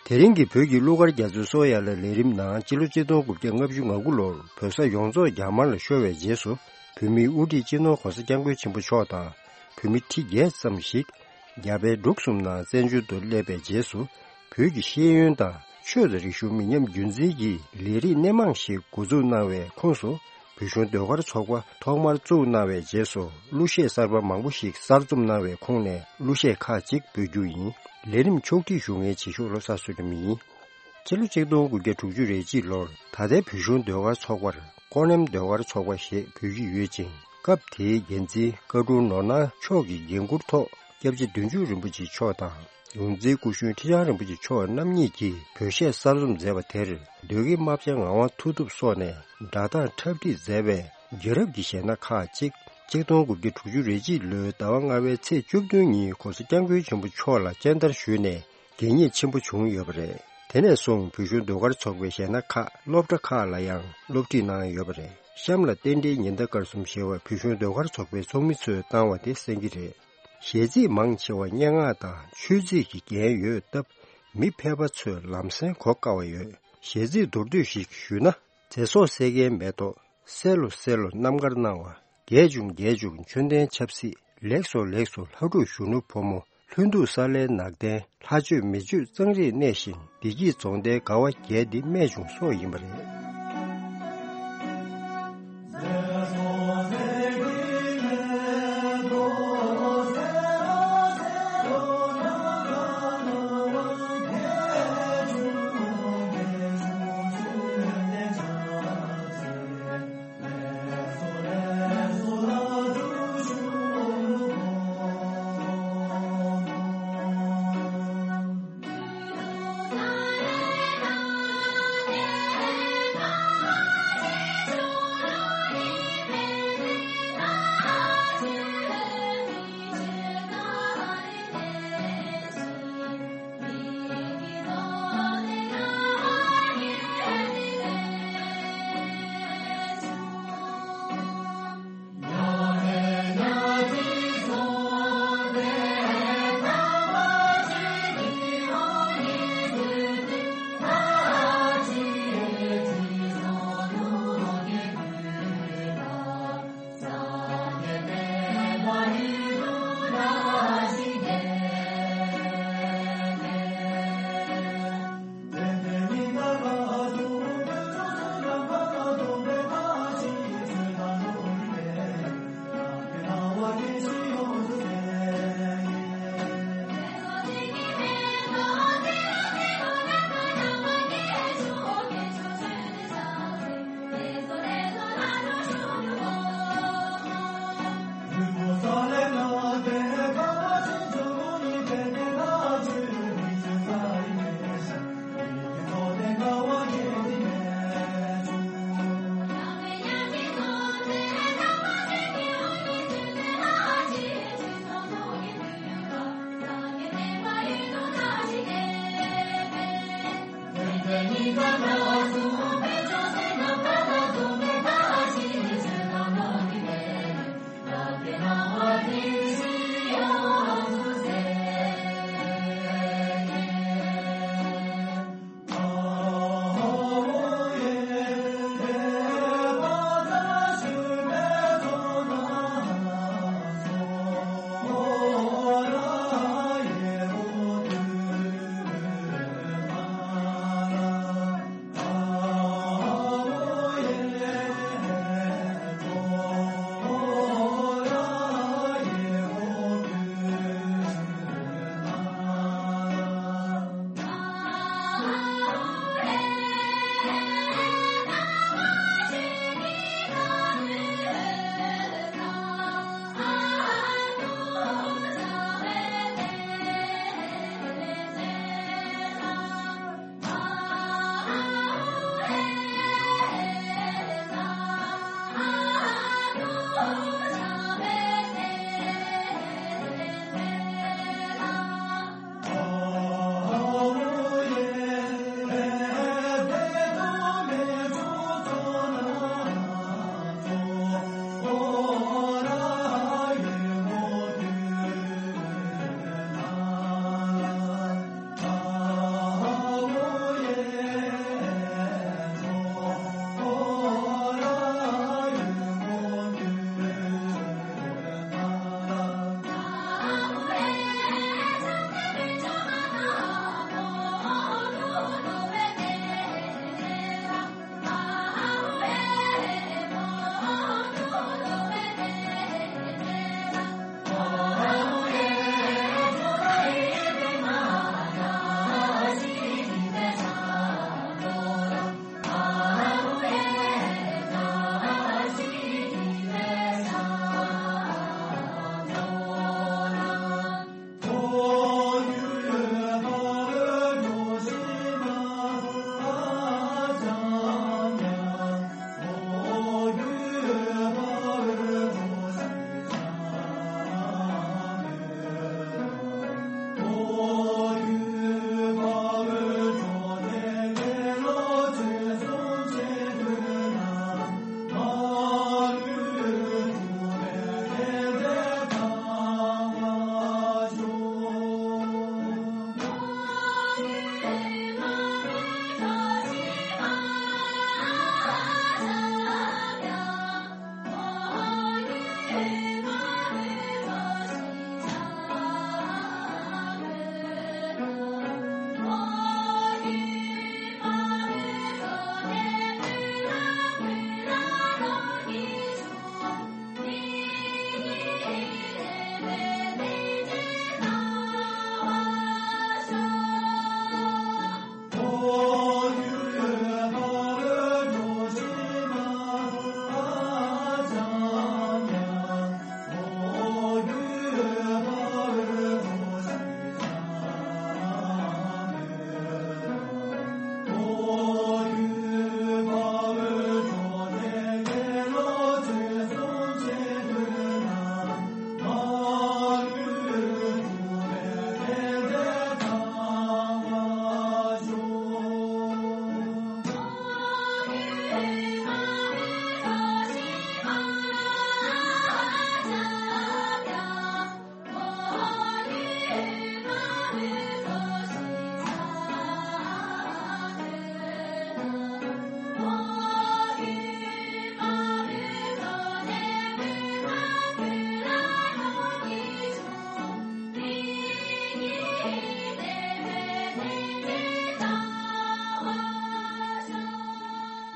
དེ་རིང་གི་བོད་ཀྱི་གླུ་གར་རྒྱ་མཚོའི་སོ་ཡ་ལ་ལས་རིམ་ནང་སྤྱི་ལོ་ཆིག་སྟོང་དགུ་བརྒྱ་ལྔ་བཅུ་ང་དགུ་ལོར་བོད་ས་ཡོངས་རྫོགས་རྒྱ་དམར་ལ་ཤོར་བའི་རྗེས་སུ་བོད་མིའི་དབུ་ཁྲིད་སྤྱི་ནོར་༧གོང་ས་༧སྐྱབས་མགོན་ཆེན་པོ་མཆོག་དང་བོད་མི་ཁྲི་བརྒྱད་ཙམ་ཞིག་རྒྱ་བལ་འབྲུག་གསུམ་ནང་བཙན་བྱོལ་དུ་སླེབས་པའི་རྗེས་སུ་བོད་ཀྱི་ཤེས་ཡོན་དང་ཆོས་དང་རིག་གཞུང་མི་ཉམས་རྒྱུན་འཛིན་གྱི་ལས་རིགས་སྣེ་མང་ཞིག་འགོ་འཛུགས་གནང་བའི་ཁོངས་སུ། བོད་གཞུང་ཟློས་གར་ཚོགས་པ་ཐོག་མར་བཙུགས་གནང་བའི་རྗེས་སུ་གླུ་གཞས་གསར་པ་མང་པོ་ཞིག་གསར་རྩོམ་གནང་བའི་ཁོངས་ནས་གླུ་གཞས་ཁག་ཅིག་འབུལ་རྒྱུ་ཡིན། ལས་རིམ་ཕྱོགས་སྒྲིག་ཞུ་མཁན་བྱེད་ཤོག་ལོ་གསར་བཟོ་རིམ་ཡིན། སྤྱི་ལོ་ཆིག་སྟོང་དགུ་བརྒྱ་དྲུག་ཅུ་རེ་གཅིག་ལོར་ད་ལྟའི་བོད་གཞུང་ཟློས་གར་ཚོགས་པར་ཀོ་ནེམ་ཟློས་གར་ཚོགས་པ་ཞེས་འབོད་ཀྱི་ཡོད་ཅིང་། སྐབས་དེའི་འགན་འཛིན་བཀའ་དྲུང་ནོར་སྣང་མཆོག་གི་འགན་འཁུར་ཐོག་སྐྱབས་རྗེ་བདུད་འཇོམས་རིན་པོ་ཆེ་མཆོག་དང་། ཡོངས་འཛིན་སྐུ་གཞོན་ཁྲི་བྱང་རིན་པོ་ཆེ་མཆོག་རྣམ་གཉིས་ཀྱིས་བོད་གཞས་གསར་རྩོམ་མཛད་པ་དེར་ཟློས་དགེ་རྨ་བྱ་ངག་དབང་མཐུ་སྟོབས་སོགས་ནས་སྒྲ་གདངས་འཁྲབ་ཁྲིད་མཛད་པའི་རྒྱལ་རབས་ཀྱི་གཞས་སྣ་ཁག་ཅིག་ཆིག་སྟོང་དགུ་བརྒྱ་དྲུག་ཅུ་རེ་གཅིག་ལོའི་ཟླ་བ་ལྔ་པའི་ཚེས་བཅུ་བདུན་ཉིན་༧གོང་ས་༧སྐྱབས་མགོན་ཆེན་པོ་མཆོག་ལ་སྤྱན་བསྟར་ཞུས་ནས་གད་སྙིགས་ཆེན་པོ་བྱུང་ཡོད་པ་རེད། དེ་ནས་བཟུང་བོད་གཞུང་ཟློས་གར་ཚོགས་པའི་གཞས་སྣ་ཁག་སློབ་གྲྭ་ཁག་ལ་ཡང་སློབ་ཁྲིད་གནང་ཡོད་པ་རེད། གཤམ་ལ་རྟེན་འབྲེལ་ཉི་ཟླ་སྐར་གསུམ་ཞེས་པ་བོད་གཞུང་ཟློས་གར་ཚོགས་པའི་ཚོགས་མི་ཚོས་བཏང་བ་དེ་གསན་གྱི་རེད། གཞས་ཚིག་མང་ཆེ་བ་སྙན་ངག་དང་ཆོས་ཚིག་གི་རྒྱན་ཡོད་སྟབས། མི་ཕལ་པ་ཚོས་ལམ་སེང་གོ་དཀའ་བ་ཡོད། གཞས་ཚིག་མདོར་བསྡུས་ཤིག་ཞུས་ན། ཚེ་སྲོག་སད་མཁན་མེ་ཏོག་སད་ལོ་སད་ལོ་རྣམ་དཀར་སྣང་བ། རྒྱས་བྱུང་རྒྱས་བྱུང་མཆོད་རྟེན་ཆབ་སྲིད། ལེགས་སོ་ལེགས་སོ་ལྷ་ཕྲུག་གཞོན་ནུ་ཕོ་མོ། ལྷུན་སྡུག་ས་ལའི་ནག་ལྡན། ལྷ་ཆོས་མི་ཆོས་གཙང་རིས་གནས་ཤིང་། བདེ་སྐྱིད་རྫོང་མདའི་དགའ་བ་རྒྱས་འདི་རྨད་བྱུང་སོགས་ཡིན་པ་རེད།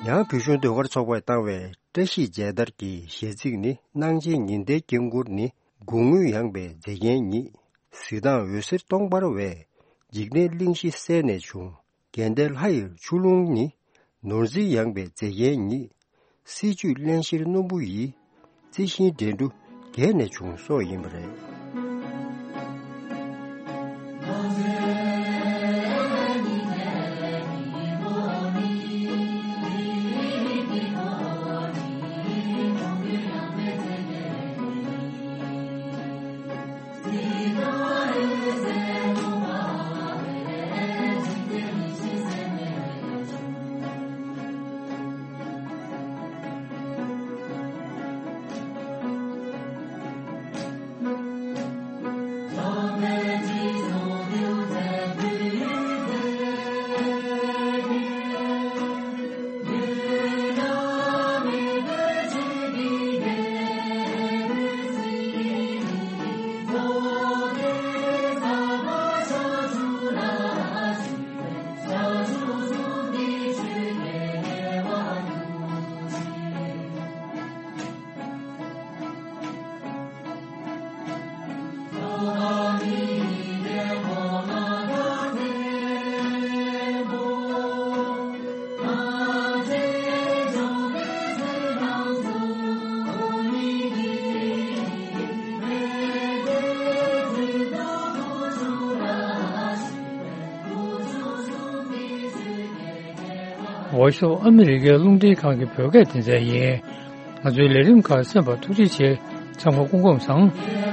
ཡང་བོད་གཞུང་ཟློས་གར་ཚོགས་པས་བཏང་བའི་བཀྲ་ཤིས་མཇལ་དར་གྱི་གཞས་ཚིག་ནི། སྣང་བྱེད་ཉི་ཟླའི་དཀྱིལ་འཁོར་ནི། དགུང་སྔོན་ཡངས་པའི་མཛེས་རྒྱན་ཉིད། གཟི་མདངས་འོད་ཟེར་སྟོང་འབར་བས། འཇིག་རྟེན་གླིང་བཞི་གསལ་ནས་བྱུང་། དགེ་ལྡན་ལྷ་ཡི་ཆུ་ཀླུང་ནི། ནོར་འཛིན་ཡངས་པའི་མཛེས་རྒྱན་ཉིད། སྲིད་བྱུས་རླན་གཤེར་སྣུམ་པོ་ཡིས། རྩི་ཤིང་འགྲན་བསྡུར་རྒྱས་ནས་བྱུང་སོགས་ཡིན་པ་རེད། འོ་ཤོག་ཨ་མི་རི་ཀའི་རླུང་འཕྲིན་ཁང་གི་བོད་སྐད་སྡེ་ཚན་ཡིན། ང་ཚོའི་ལས་རིམ་ཁག་གསན་པར་ཐུགས་རྗེ་ཆེ། ཚང་མ་སྐུ་ཁམས་བཟང་།